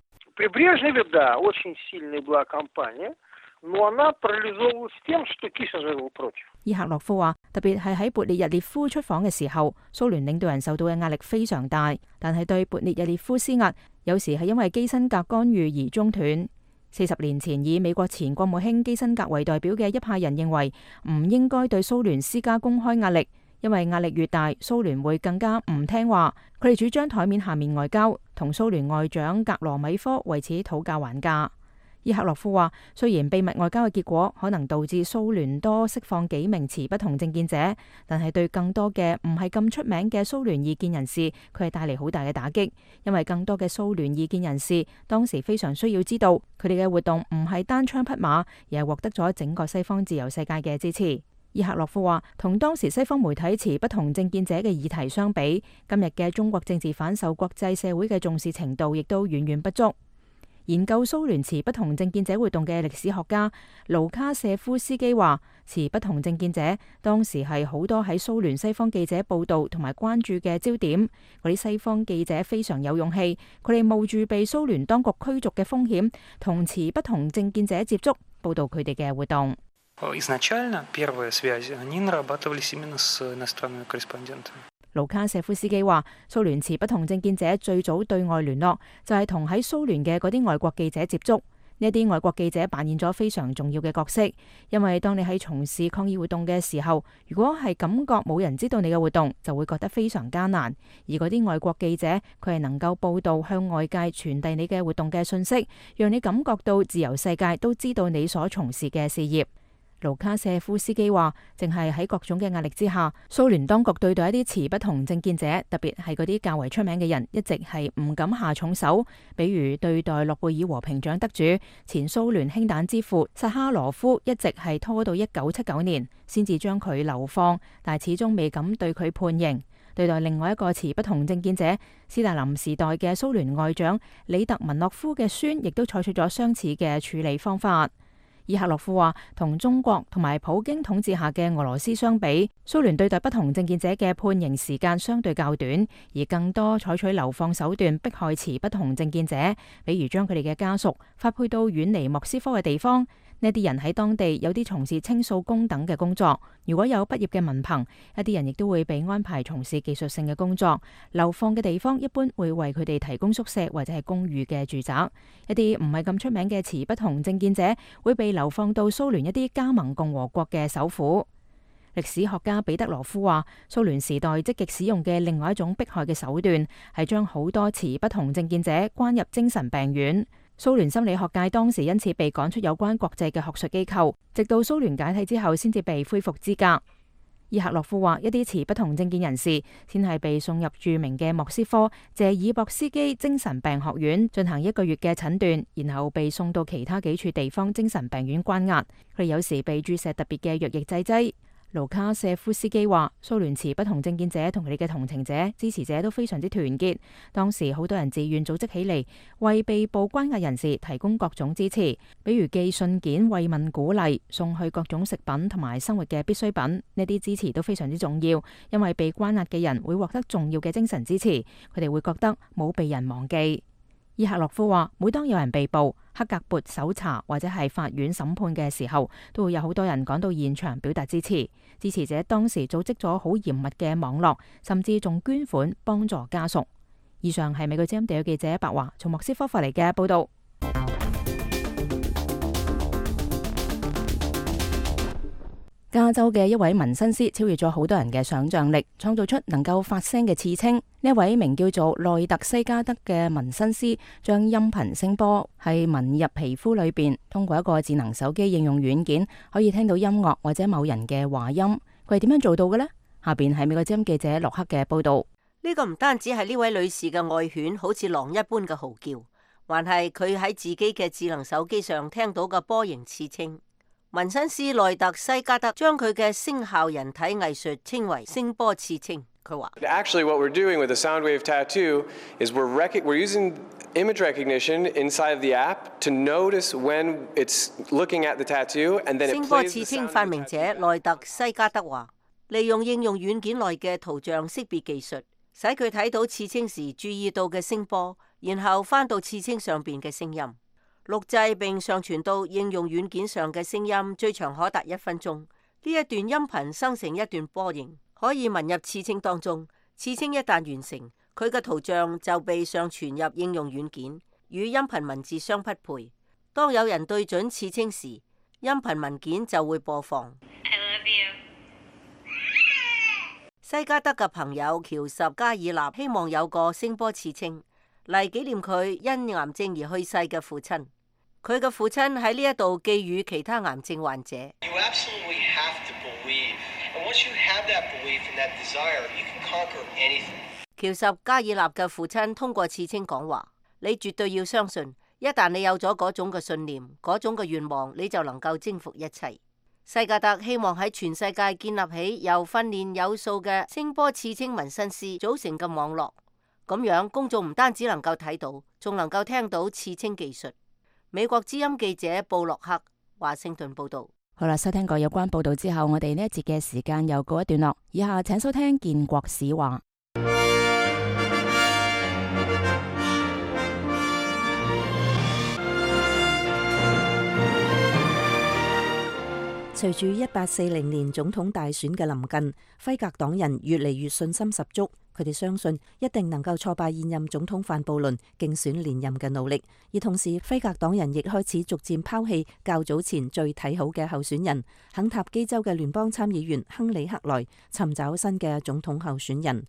伊赫洛夫話，特別係喺勃列日列夫出訪嘅時候，蘇聯領導人受到嘅壓力非常大，但係對勃列日列夫施壓，有時係因為基辛格干預而中斷。40年前，以美國前國務卿基辛格為代表嘅一派人認為，唔應該對蘇聯施加公開壓力，因為壓力越大，蘇聯會更加唔聽話。佢哋主張台面下面外交，同蘇聯外長格羅米科為此討價還價。伊克洛夫話，雖然秘密外交嘅結果可能導致蘇聯多釋放幾名持不同政見者，但係對更多嘅唔係咁出名嘅蘇聯異見人士，佢係帶嚟好大嘅打擊。因為更多嘅蘇聯異見人士當時非常需要知道，佢哋嘅活動唔係單槍匹馬，而係獲得咗整個西方自由世界嘅支持。伊克洛夫話，同當時西方媒體持不同政見者嘅議題相比，今日嘅中國政治犯受國際社會嘅重視程度亦都遠遠不足。研究蘇聯持不同政見者活動嘅歷史學家盧卡舍夫斯基話，持不同政見者當時係好多喺蘇聯西方記者報道同埋關注嘅焦點。嗰啲西方記者非常有勇氣，佢哋冒住被蘇聯當局驅逐嘅風險，同持不同政見者接觸，報道佢哋嘅活動。盧卡舍夫斯基話，蘇聯持不同政見者最早對外聯絡就係同喺蘇聯嘅嗰啲外國記者接觸。呢啲外國記者扮演咗非常重要嘅角色，因為當你喺從事抗議活動嘅時候，如果係感覺冇人知道你嘅活動，就會覺得非常艱難。而嗰啲外國記者，佢係能夠報道向外界傳遞你嘅活動嘅信息，讓你感覺到自由世界都知道你所從事嘅事業。盧卡舍夫斯基話，淨係喺各種嘅壓力之下，蘇聯當局對待一啲持不同政見者，特別係嗰啲較為出名嘅人，一直係唔敢下重手。比如對待諾貝爾和平獎得主、前蘇聯氫彈之父薩哈羅夫，一直係拖到1979年先至將佢流放，但係始終未敢對佢判刑。對待另外一個持不同政見者，斯大林時代嘅蘇聯外長里特文諾夫嘅孫，亦都採取咗相似嘅處理方法。伊克洛夫話，同中國同埋普京統治下嘅俄羅斯相比，蘇聯對待不同政見者嘅判刑時間相對較短，而更多採取流放手段迫害持不同政見者，比如將佢哋嘅家屬發配到遠離莫斯科嘅地方。呢啲人喺當地有啲從事清掃工等嘅工作，如果有畢業嘅文憑，一啲人亦都會被安排從事技術性嘅工作。流放嘅地方一般會為佢哋提供宿舍或者係公寓嘅住宅。一啲唔係咁出名嘅持不同政見者會被流放到蘇聯一啲加盟共和國嘅首府。歷史學家彼得羅夫話，蘇聯時代積極使用嘅另外一種迫害嘅手段係將好多持不同政見者關入精神病院。蘇聯心理學界當時因此被趕出有關國際嘅學術機構，直到蘇聯解體之後先至被恢復資格。伊克洛夫話，一啲持不同政見人士先係被送入著名嘅莫斯科謝爾博斯基精神病學院進行1個月嘅診斷，然後被送到其他幾處地方精神病院關押。佢哋有時被注射特別嘅藥液製劑。盧卡舍夫斯基話，蘇聯持不同政見者同佢哋嘅同情者、支持者都非常之團結。當時好多人自願組織起嚟，為被捕關押人士提供各種支持，比如寄信件慰問鼓勵，送去各種食品同埋生活嘅必需品。呢啲支持都非常之重要，因為被關押嘅人會獲得重要嘅精神支持，佢哋會覺得冇被人忘記。伊克洛夫話，每當有人被捕、克格勃搜查或者係法院審判嘅時候，都會有好多人趕到現場表達支持。支持者當時組織咗好嚴密嘅網絡，甚至仲捐款幫助家屬。以上係美國之音地區記者白華從莫斯科發嚟嘅報道。加州嘅一位紋身師超越咗好多人嘅想象力，創造出能夠發聲嘅刺青。呢一位名叫做內特西加德嘅紋身師，將音頻聲波係紋入皮膚裏邊，通過一個智能手機應用軟件，可以聽到音樂或者某人嘅話音。佢係點樣做到嘅呢？下邊係美國之音記者洛克嘅報道。呢個唔單止係呢位女士嘅愛犬好似狼一般嘅嚎叫，還係佢喺自己嘅智能手機上聽到嘅波形刺青。紋身師內特西加德將佢嘅聲效人體藝術稱為聲波刺青。佢話 Actually, what we're doing with the Soundwave tattoo is we're using image recognition inside of the app to notice when it's looking at the tattoo, and then it plays the sound of the tattoo. 聲波刺青發明者內特西加德話，利用應用軟件內嘅圖像識別技術，使佢睇到刺青時注意到嘅聲波，然後翻到刺青上邊嘅聲音。錄製並上傳到應用軟件上嘅聲音最長可達1分鐘。呢一段音頻生成一段波形，可以紋入刺青當中。刺青一旦完成，佢嘅圖像就被上傳入應用軟件，與音頻文字相匹配。當有人對準刺青時，音頻文件就會播放。I love you. 西加德嘅朋友喬什加爾納希望有個聲波刺青嚟紀念佢因癌症而去世嘅父親。佢嘅父親喺呢一度寄語其他癌症患者。喬什加爾納嘅父親通過刺青講話：你絕對要相信，一旦你有咗嗰種嘅信念、嗰種嘅願望，你就能夠征服一切。西加德希望喺全世界建立起由訓練有素嘅聲波刺青紋身師組成嘅網絡，咁樣公眾唔單止能夠睇到，仲能夠聽到刺青技術。美國之音記者布洛克，華盛頓報道。好啦，收聽過有關報道之後，我哋呢一節嘅時間又告一段落。以下請收聽建國史話。隨住1840年總統大選嘅臨近，輝格黨人越嚟越信心十足，佢哋相信一定能夠挫敗現任總統范布倫競選連任嘅努力。而同時，輝格黨人亦開始逐漸拋棄較早前最睇好嘅候選人肯塔基州嘅聯邦參議員亨利克萊，尋找新嘅總統候選人。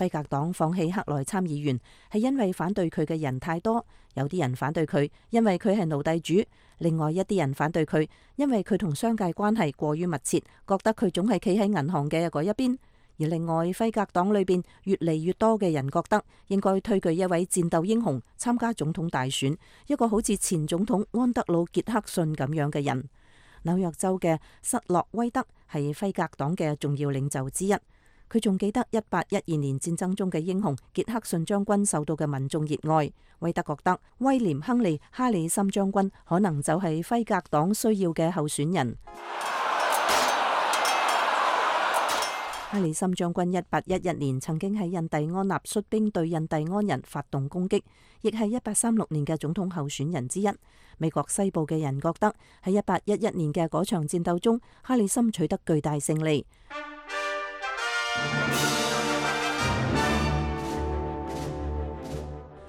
輝格黨放棄克萊參議員係因為反對佢嘅人太多，有啲人反對佢，因為佢係奴隸主；另外一啲人反對佢，因為佢同商界關係過於密切，覺得佢總係企喺銀行嘅嗰一邊。而另外，輝格黨裏邊越嚟越多嘅人覺得應該推舉一位戰鬥英雄參加總統大選，一個好似前總統安德魯傑克遜咁樣嘅人。紐約州嘅瑟洛威德係輝格黨嘅重要領袖之一。佢仲記得1812年戰爭中嘅英雄傑克遜將軍受到嘅民眾熱愛。威德覺得威廉亨利哈里森將軍可能就係輝格黨需要嘅候選人。哈里森將軍1811年曾經喺印第安納率兵對印第安人發動攻擊，亦係1836年嘅總統候選人之一。美國西部嘅人覺得喺1811年嘅嗰場戰鬥中，哈里森取得巨大勝利。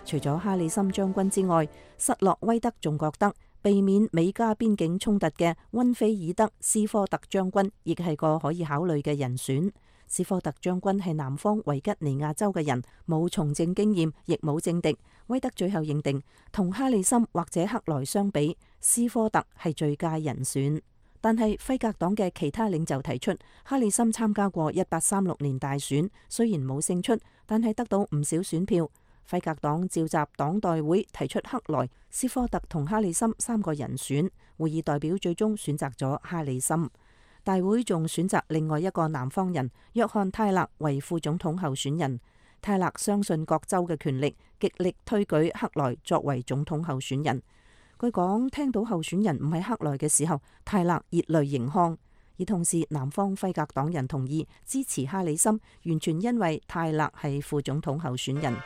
除咗哈里森將軍之外，瑟洛威德仲覺得避免美加邊境衝突嘅溫菲爾德斯科特將軍亦係個可以考慮嘅人選。斯科特將軍係南方維吉尼亞州嘅人，冇從政經驗，亦冇政敵。威德最後認定，同哈里森或者克萊相比，斯科特係最佳人選。但係輝格黨嘅其他領袖提出，哈里森參加過1836年大選，雖然冇勝出，但係得到唔少選票。輝格黨召集黨代會提出克萊、斯科特同哈里森三個人選，會議代表最終選擇咗哈里森。大會仲選擇另外一個南方人約翰泰勒為副總統候選人。泰勒相信各州嘅權力，極力推舉克萊作為總統候選人。據講，聽到候選人唔係克萊嘅時候，泰勒熱淚盈眶。而同時，南方輝格黨人同意支持哈里森，完全因為泰勒係副總統候選人。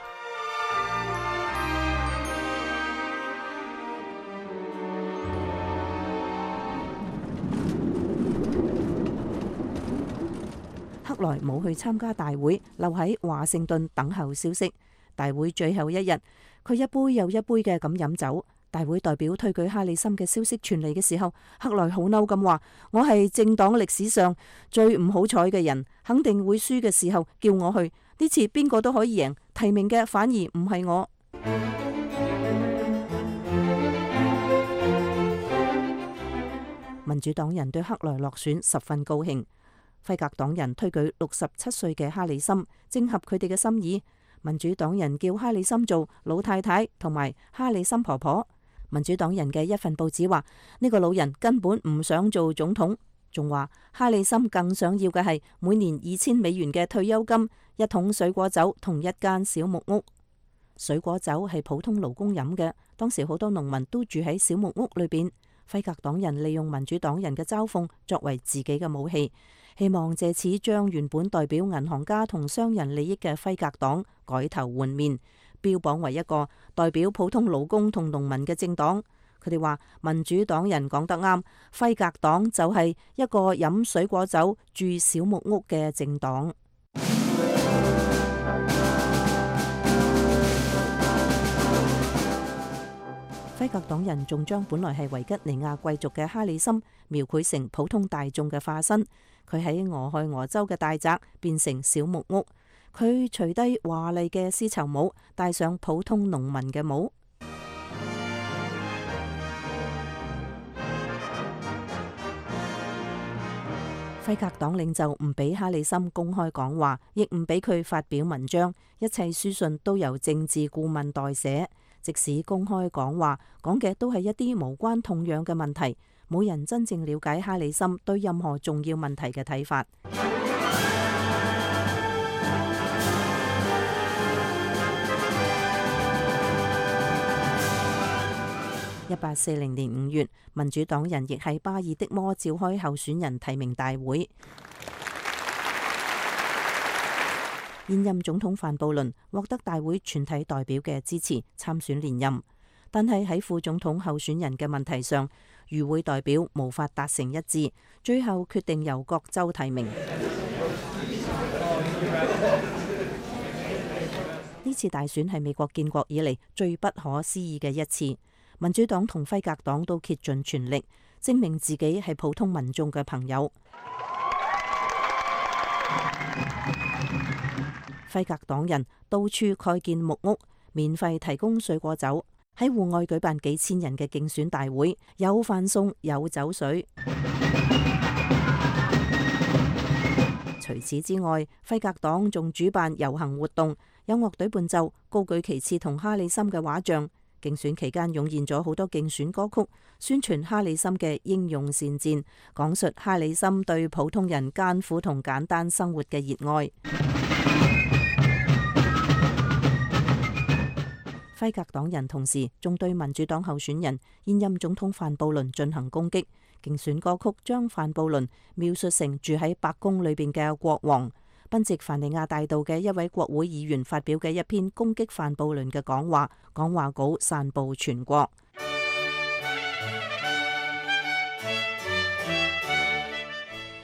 克萊冇去參加大會，留喺華盛頓等候消息。大會最後一日，佢一杯又一杯嘅咁飲酒。大會代表推舉哈里森嘅消息傳嚟嘅時候，克萊好嬲咁話：我係政黨歷史上最唔好彩嘅人，肯定會輸嘅時候叫我去，呢次邊個都可以贏，提名嘅反而唔係我。民主黨人對克萊落選十分高興。輝格黨人推舉67歲嘅哈里森，正合佢哋嘅心意。民主黨人叫哈里森做老太太同埋哈里森婆婆。民主黨人嘅一份報紙話，呢個老人根本唔想做總統，仲話哈里森更想要嘅係每年$2000嘅退休金、一桶水果酒同一間小木屋。水果酒係普通勞工飲嘅，當時好多農民都住喺小木屋裏邊。輝格黨人利用民主黨人嘅嘲諷作為自己嘅武器，希望借此將原本代表銀行家同商人利益嘅輝格黨改頭換面，標榜為一個代表普通勞工同農民嘅政黨。佢哋話民主黨人講得啱，輝格黨就係一個飲水果酒住小木屋嘅政黨。輝格黨人仲將本來係維吉尼亞貴族嘅哈里森描繪成普通大眾嘅化身。佢喺俄亥俄州嘅大宅變成小木屋。佢除低華麗嘅絲綢帽，戴上普通農民嘅帽。輝格黨領袖唔俾哈里森公開講話，亦唔俾佢發表文章，一切書信都由政治顧問代寫。即使公開講話，講嘅都係一啲無關痛癢嘅問題，冇人真正了解哈里森對任何重要問題嘅睇法。1840年5月，民主黨人亦喺巴爾的摩召開候選人提名大會。現任總統范布倫獲得大會全體代表嘅支持參選連任，但係喺副總統候選人嘅問題上，與會代表無法達成一致，最後決定由各州提名。呢次大選係美國建國以嚟最不可思議嘅一次。民主黨同輝格黨都竭盡全力證明自己係普通民眾嘅朋友。輝格黨人到處蓋建木屋，免費提供水果酒，喺戶外舉辦幾千人嘅競選大會，有飯餸有酒水。除此之外，輝格黨仲主辦遊行活動，有樂隊伴奏，高舉旗幟同哈里森嘅畫像。競選期間湧現咗好多競選歌曲，宣傳哈里森嘅英勇善戰，講述哈里森對普通人艱苦同簡單生活嘅熱愛。輝格黨人同時仲對民主黨候選人現任總統范布倫進行攻擊，競選歌曲將范布倫描述成住喺白宮裏邊嘅國王。賓夕凡尼亞大道嘅一位國會議員發表嘅一篇攻擊范布倫嘅講話，講話稿散布全國。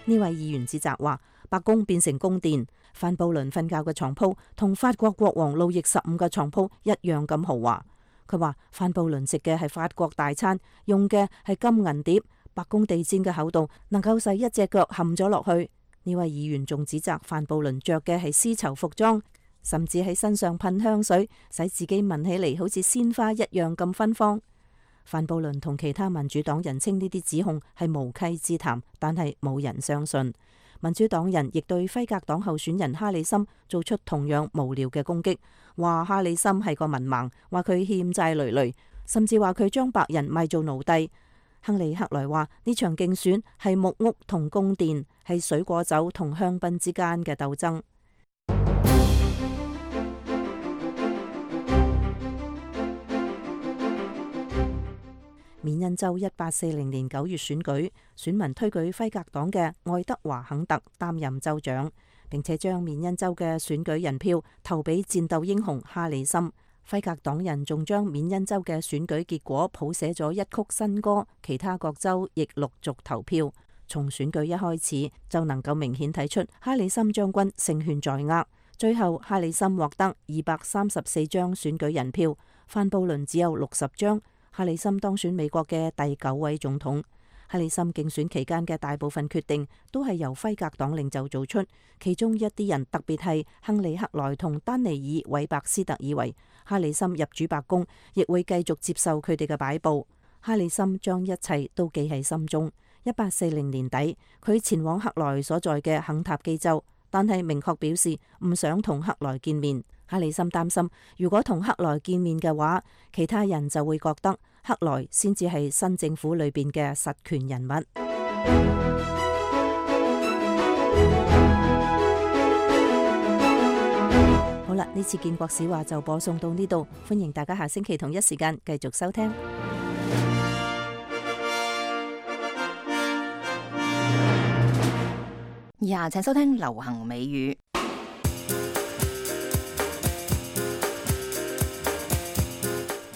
呢位議員指責話，白宮變成宮殿，范布倫瞓覺嘅床鋪同法國國王路易15嘅床鋪一樣咁豪華。佢話范布倫食嘅係法國大餐，用嘅係金銀碟，白宮地氈嘅厚度能夠使一隻腳陷咗落去。呢位議員仲指責范布倫着嘅係絲綢服裝，甚至喺身上噴香水，使自己聞起嚟好似鮮花一樣咁芬芳。范布倫同其他民主黨人稱呢啲指控係無稽之談，但係冇人相信。民主黨人亦對輝格黨候選人哈里森做出同樣無聊嘅攻擊，話哈里森係個文盲，話佢欠債累累，甚至話佢將白人賣做奴隸。亨利克萊話呢場競選係木屋同宮殿，係水果酒同香檳之間嘅鬥爭。緬因州1840年9月選舉，選民推舉輝格黨嘅愛德華肯特擔任州長，並且將緬因州嘅選舉人票投俾戰鬥英雄哈里森。輝格黨人仲將緬因州嘅選舉結果譜寫咗一曲新歌，其他各州亦陸續投票。從選舉一開始就能夠明顯睇出哈里森將軍勝券在握。最後哈里森獲得234張選舉人票，范布倫只有60張。哈里森當選美國嘅第9位總統。哈里森競選期間嘅大部分決定都係由輝格黨領袖做出，其中一啲人，特別係亨利克萊同丹尼爾韋伯斯特以為哈里森入主白宮亦會繼續接受佢哋嘅擺布。哈里森將一切都記喺心中。1840年底，佢前往克萊所在嘅肯塔基州，但係明確表示唔想同克萊見面。哈里森擔心，如果同克萊見面嘅話，其他人就會覺得克萊先至係新政府裏邊嘅實權人物。好啦，呢次建國史話就播送到呢度，歡迎大家下星期同一時間繼續收聽。以下請收聽流行美語。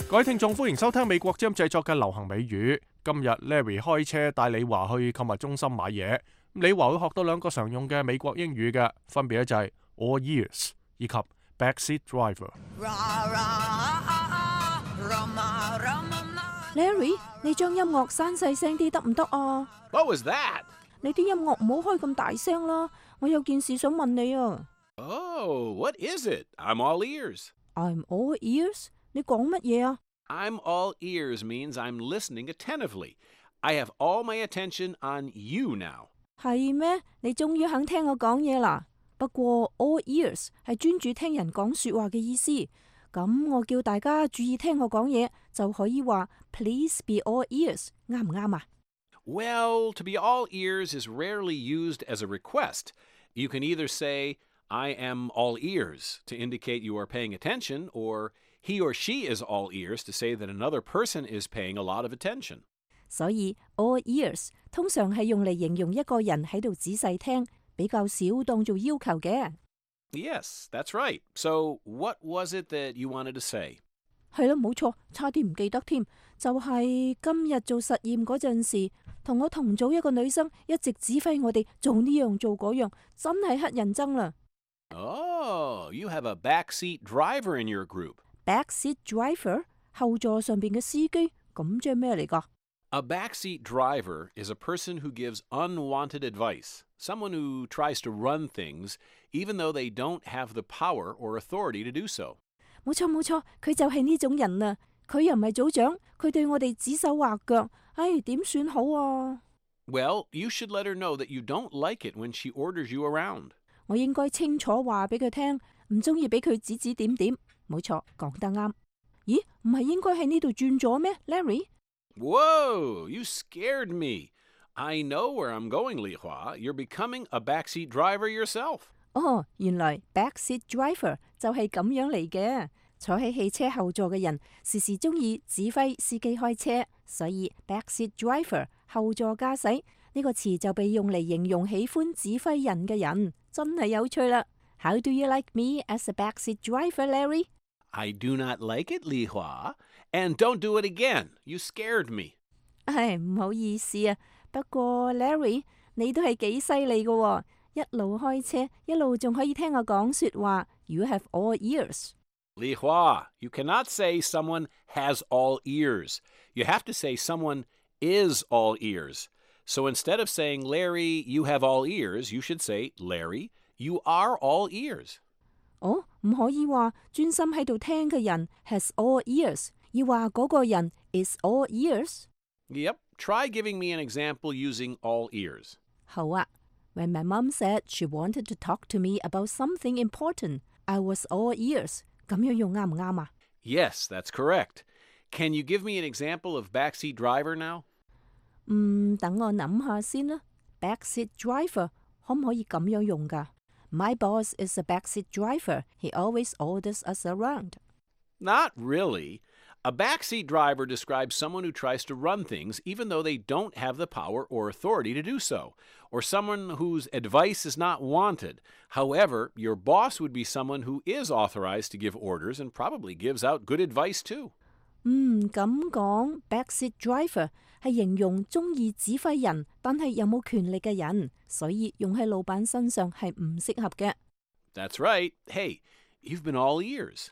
各位聽眾，歡迎收聽美國之音製作嘅流行美語。今日 Larry 開車帶李華去購物中心買嘢，李華會學到2個常用嘅美國英語嘅，分別咧就係 all ears 以及 backseat driver。Larry，你將音樂閂細聲啲得唔得啊？ What was that? 你啲音樂唔好開咁大聲啦，我有件事想問你啊。Oh, what is it? I'm all ears. I'm all ears？ 你講乜嘢啊？ I'm all ears means I'm listening attentively. I have all my attention on you now. 係咩？你終於肯聽我講嘢啦。不過 all ears 係專注聽人講說話嘅意思。咁我叫大家注意聽我講嘢，就可以話 Please be all ears， 啱唔啱啊？ Well, to be all ears is rarely used as a request. You can either say, I am all ears to indicate you are paying attention, or he or she is all ears to say that another person is paying a lot of attention. 所以 all ears 通常係用嚟形容一個人喺度仔細聽，比較少當做要求嘅。Yes, that's right. So, what was it that you wanted to say? 係咯，冇錯，差啲唔記得添。就係今日做實驗嗰陣時，同我同組一個女生一直指揮我哋做呢樣做嗰樣，真係乞人憎啦。Oh, you have a backseat driver in your group. Backseat driver 後座上邊嘅司機，咁即係咩嚟㗎？ A backseat driver is a person who gives unwanted advice, someone who tries to run things even though they don't have the power or authority to do so. 冇錯冇錯，佢就係呢種人啊！佢又唔係組長，佢對我哋指手畫腳，唉，點算好啊？ Well, you should let her know that you don't like it when she orders you around. 我應該清楚話俾佢聽，唔中意俾佢指指點點。冇錯，講得啱。咦，唔係應該喺呢度轉咗咩 ，Larry？ Whoa, you scared me. I know where I'm going, Li Hua. You're becoming a backseat driver yourself. 哦，原來 backseat driver 就係咁樣嚟嘅。坐喺汽車後座嘅人時時中意指揮司機開車，所以 backseat driver 後座駕駛呢個詞就被用嚟形容喜歡指揮人嘅人，真係有趣啦。How do you like me as a backseat driver, Larry? I do not like it, Li Hua. And don't do it again. You scared me. 唉，唔好意思啊。不過 Larry，你都係幾犀利㗎喎，一路開車，一路仲可以聽我講說話。You have all ears. Li Hua, you cannot say someone has all ears. You have to say someone is all ears. So instead of saying, Larry, you have all ears, you should say, Larry, you are all ears. 哦，唔可以話專心喺度聽嘅人 has all ears， 要話嗰個人 is all ears。 Yep, try giving me an example using all ears. 好啊。When my mom said she wanted to talk to me about something important, I was all ears。 咁樣用啱唔啱啊？ Yes, that's correct. Can you give me an example of backseat driver now? 等我諗下先啦。Backseat driver 可唔可以咁樣用㗎？ My boss is a backseat driver. He always orders us around. Not really. A backseat driver describes someone who tries to run things even though they don't have the power or authority to do so, or someone whose advice is not wanted. However, your boss would be someone who is authorized to give orders and probably gives out good advice too. 咁講 backseat driver 係形容中意指揮人，但係又冇權力嘅人，所以用喺老闆身上係唔適合嘅。 That's right. Hey, you've been all ears.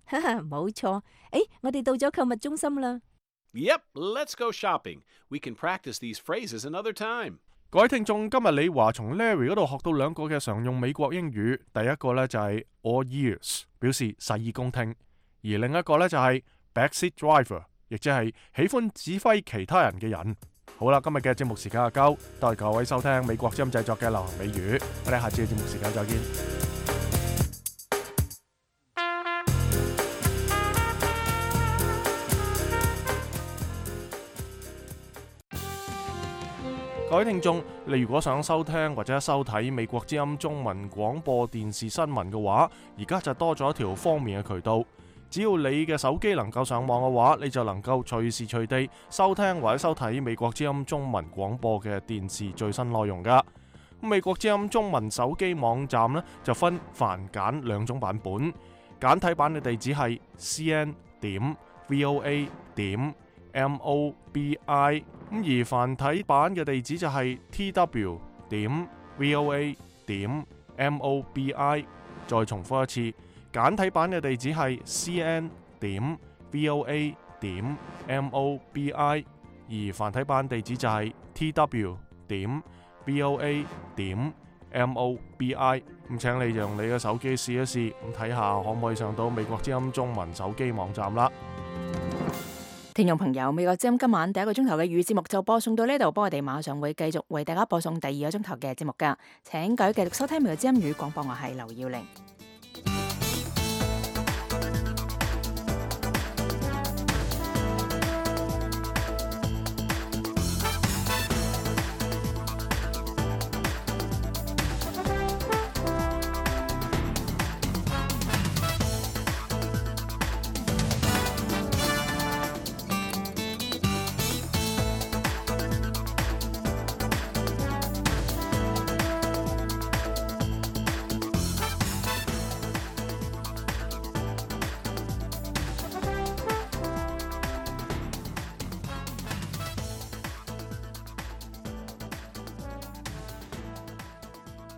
哈哈，冇錯。我哋到咗購物中心啦。 Yep, let's go shopping. We can practice these phrases another time. 各位聽眾，今日李華從 Larry 嗰度學到兩個嘅常用美國英語。第一個呢就係 all ears， 表示洗耳恭聽；而另一個呢就係backseat driver， 亦即係喜歡指揮其他人嘅人。好啦，今日嘅節目時間就夠，多謝各位收聽美國之音製作嘅流行美語，我哋下次嘅節目時間再見。各位聽眾，你如果想收聽或者收睇美國之音中文廣播電視新聞嘅話，而家就多咗一條方便嘅渠道。只要你嘅手機能夠上網嘅話，你就能夠隨時隨地收聽或者收睇美國之音中文廣播嘅電視最新內容噶。美國之音中文手機網站呢，就分繁簡兩種版本，簡體版嘅地址係 cn.voa.mobi， 而繁體版嘅地址就係 tw.voa.mobi。 再重複一次，簡體版嘅地址係 cn.voa.mobi。點 mobi， 而繁體版地址就係 tw 點 voa 點 mobi。咁請你用你嘅手機試一試，咁睇下可唔可以上到美國之音中文手機網站啦。聽眾朋友，美國之音今晚第一個鐘頭嘅粵語節目就播送到呢度，不過我哋馬上會繼續為大家播送第二個鐘頭嘅節目噶，請各位繼續收聽美國之音語廣播，我係劉耀玲。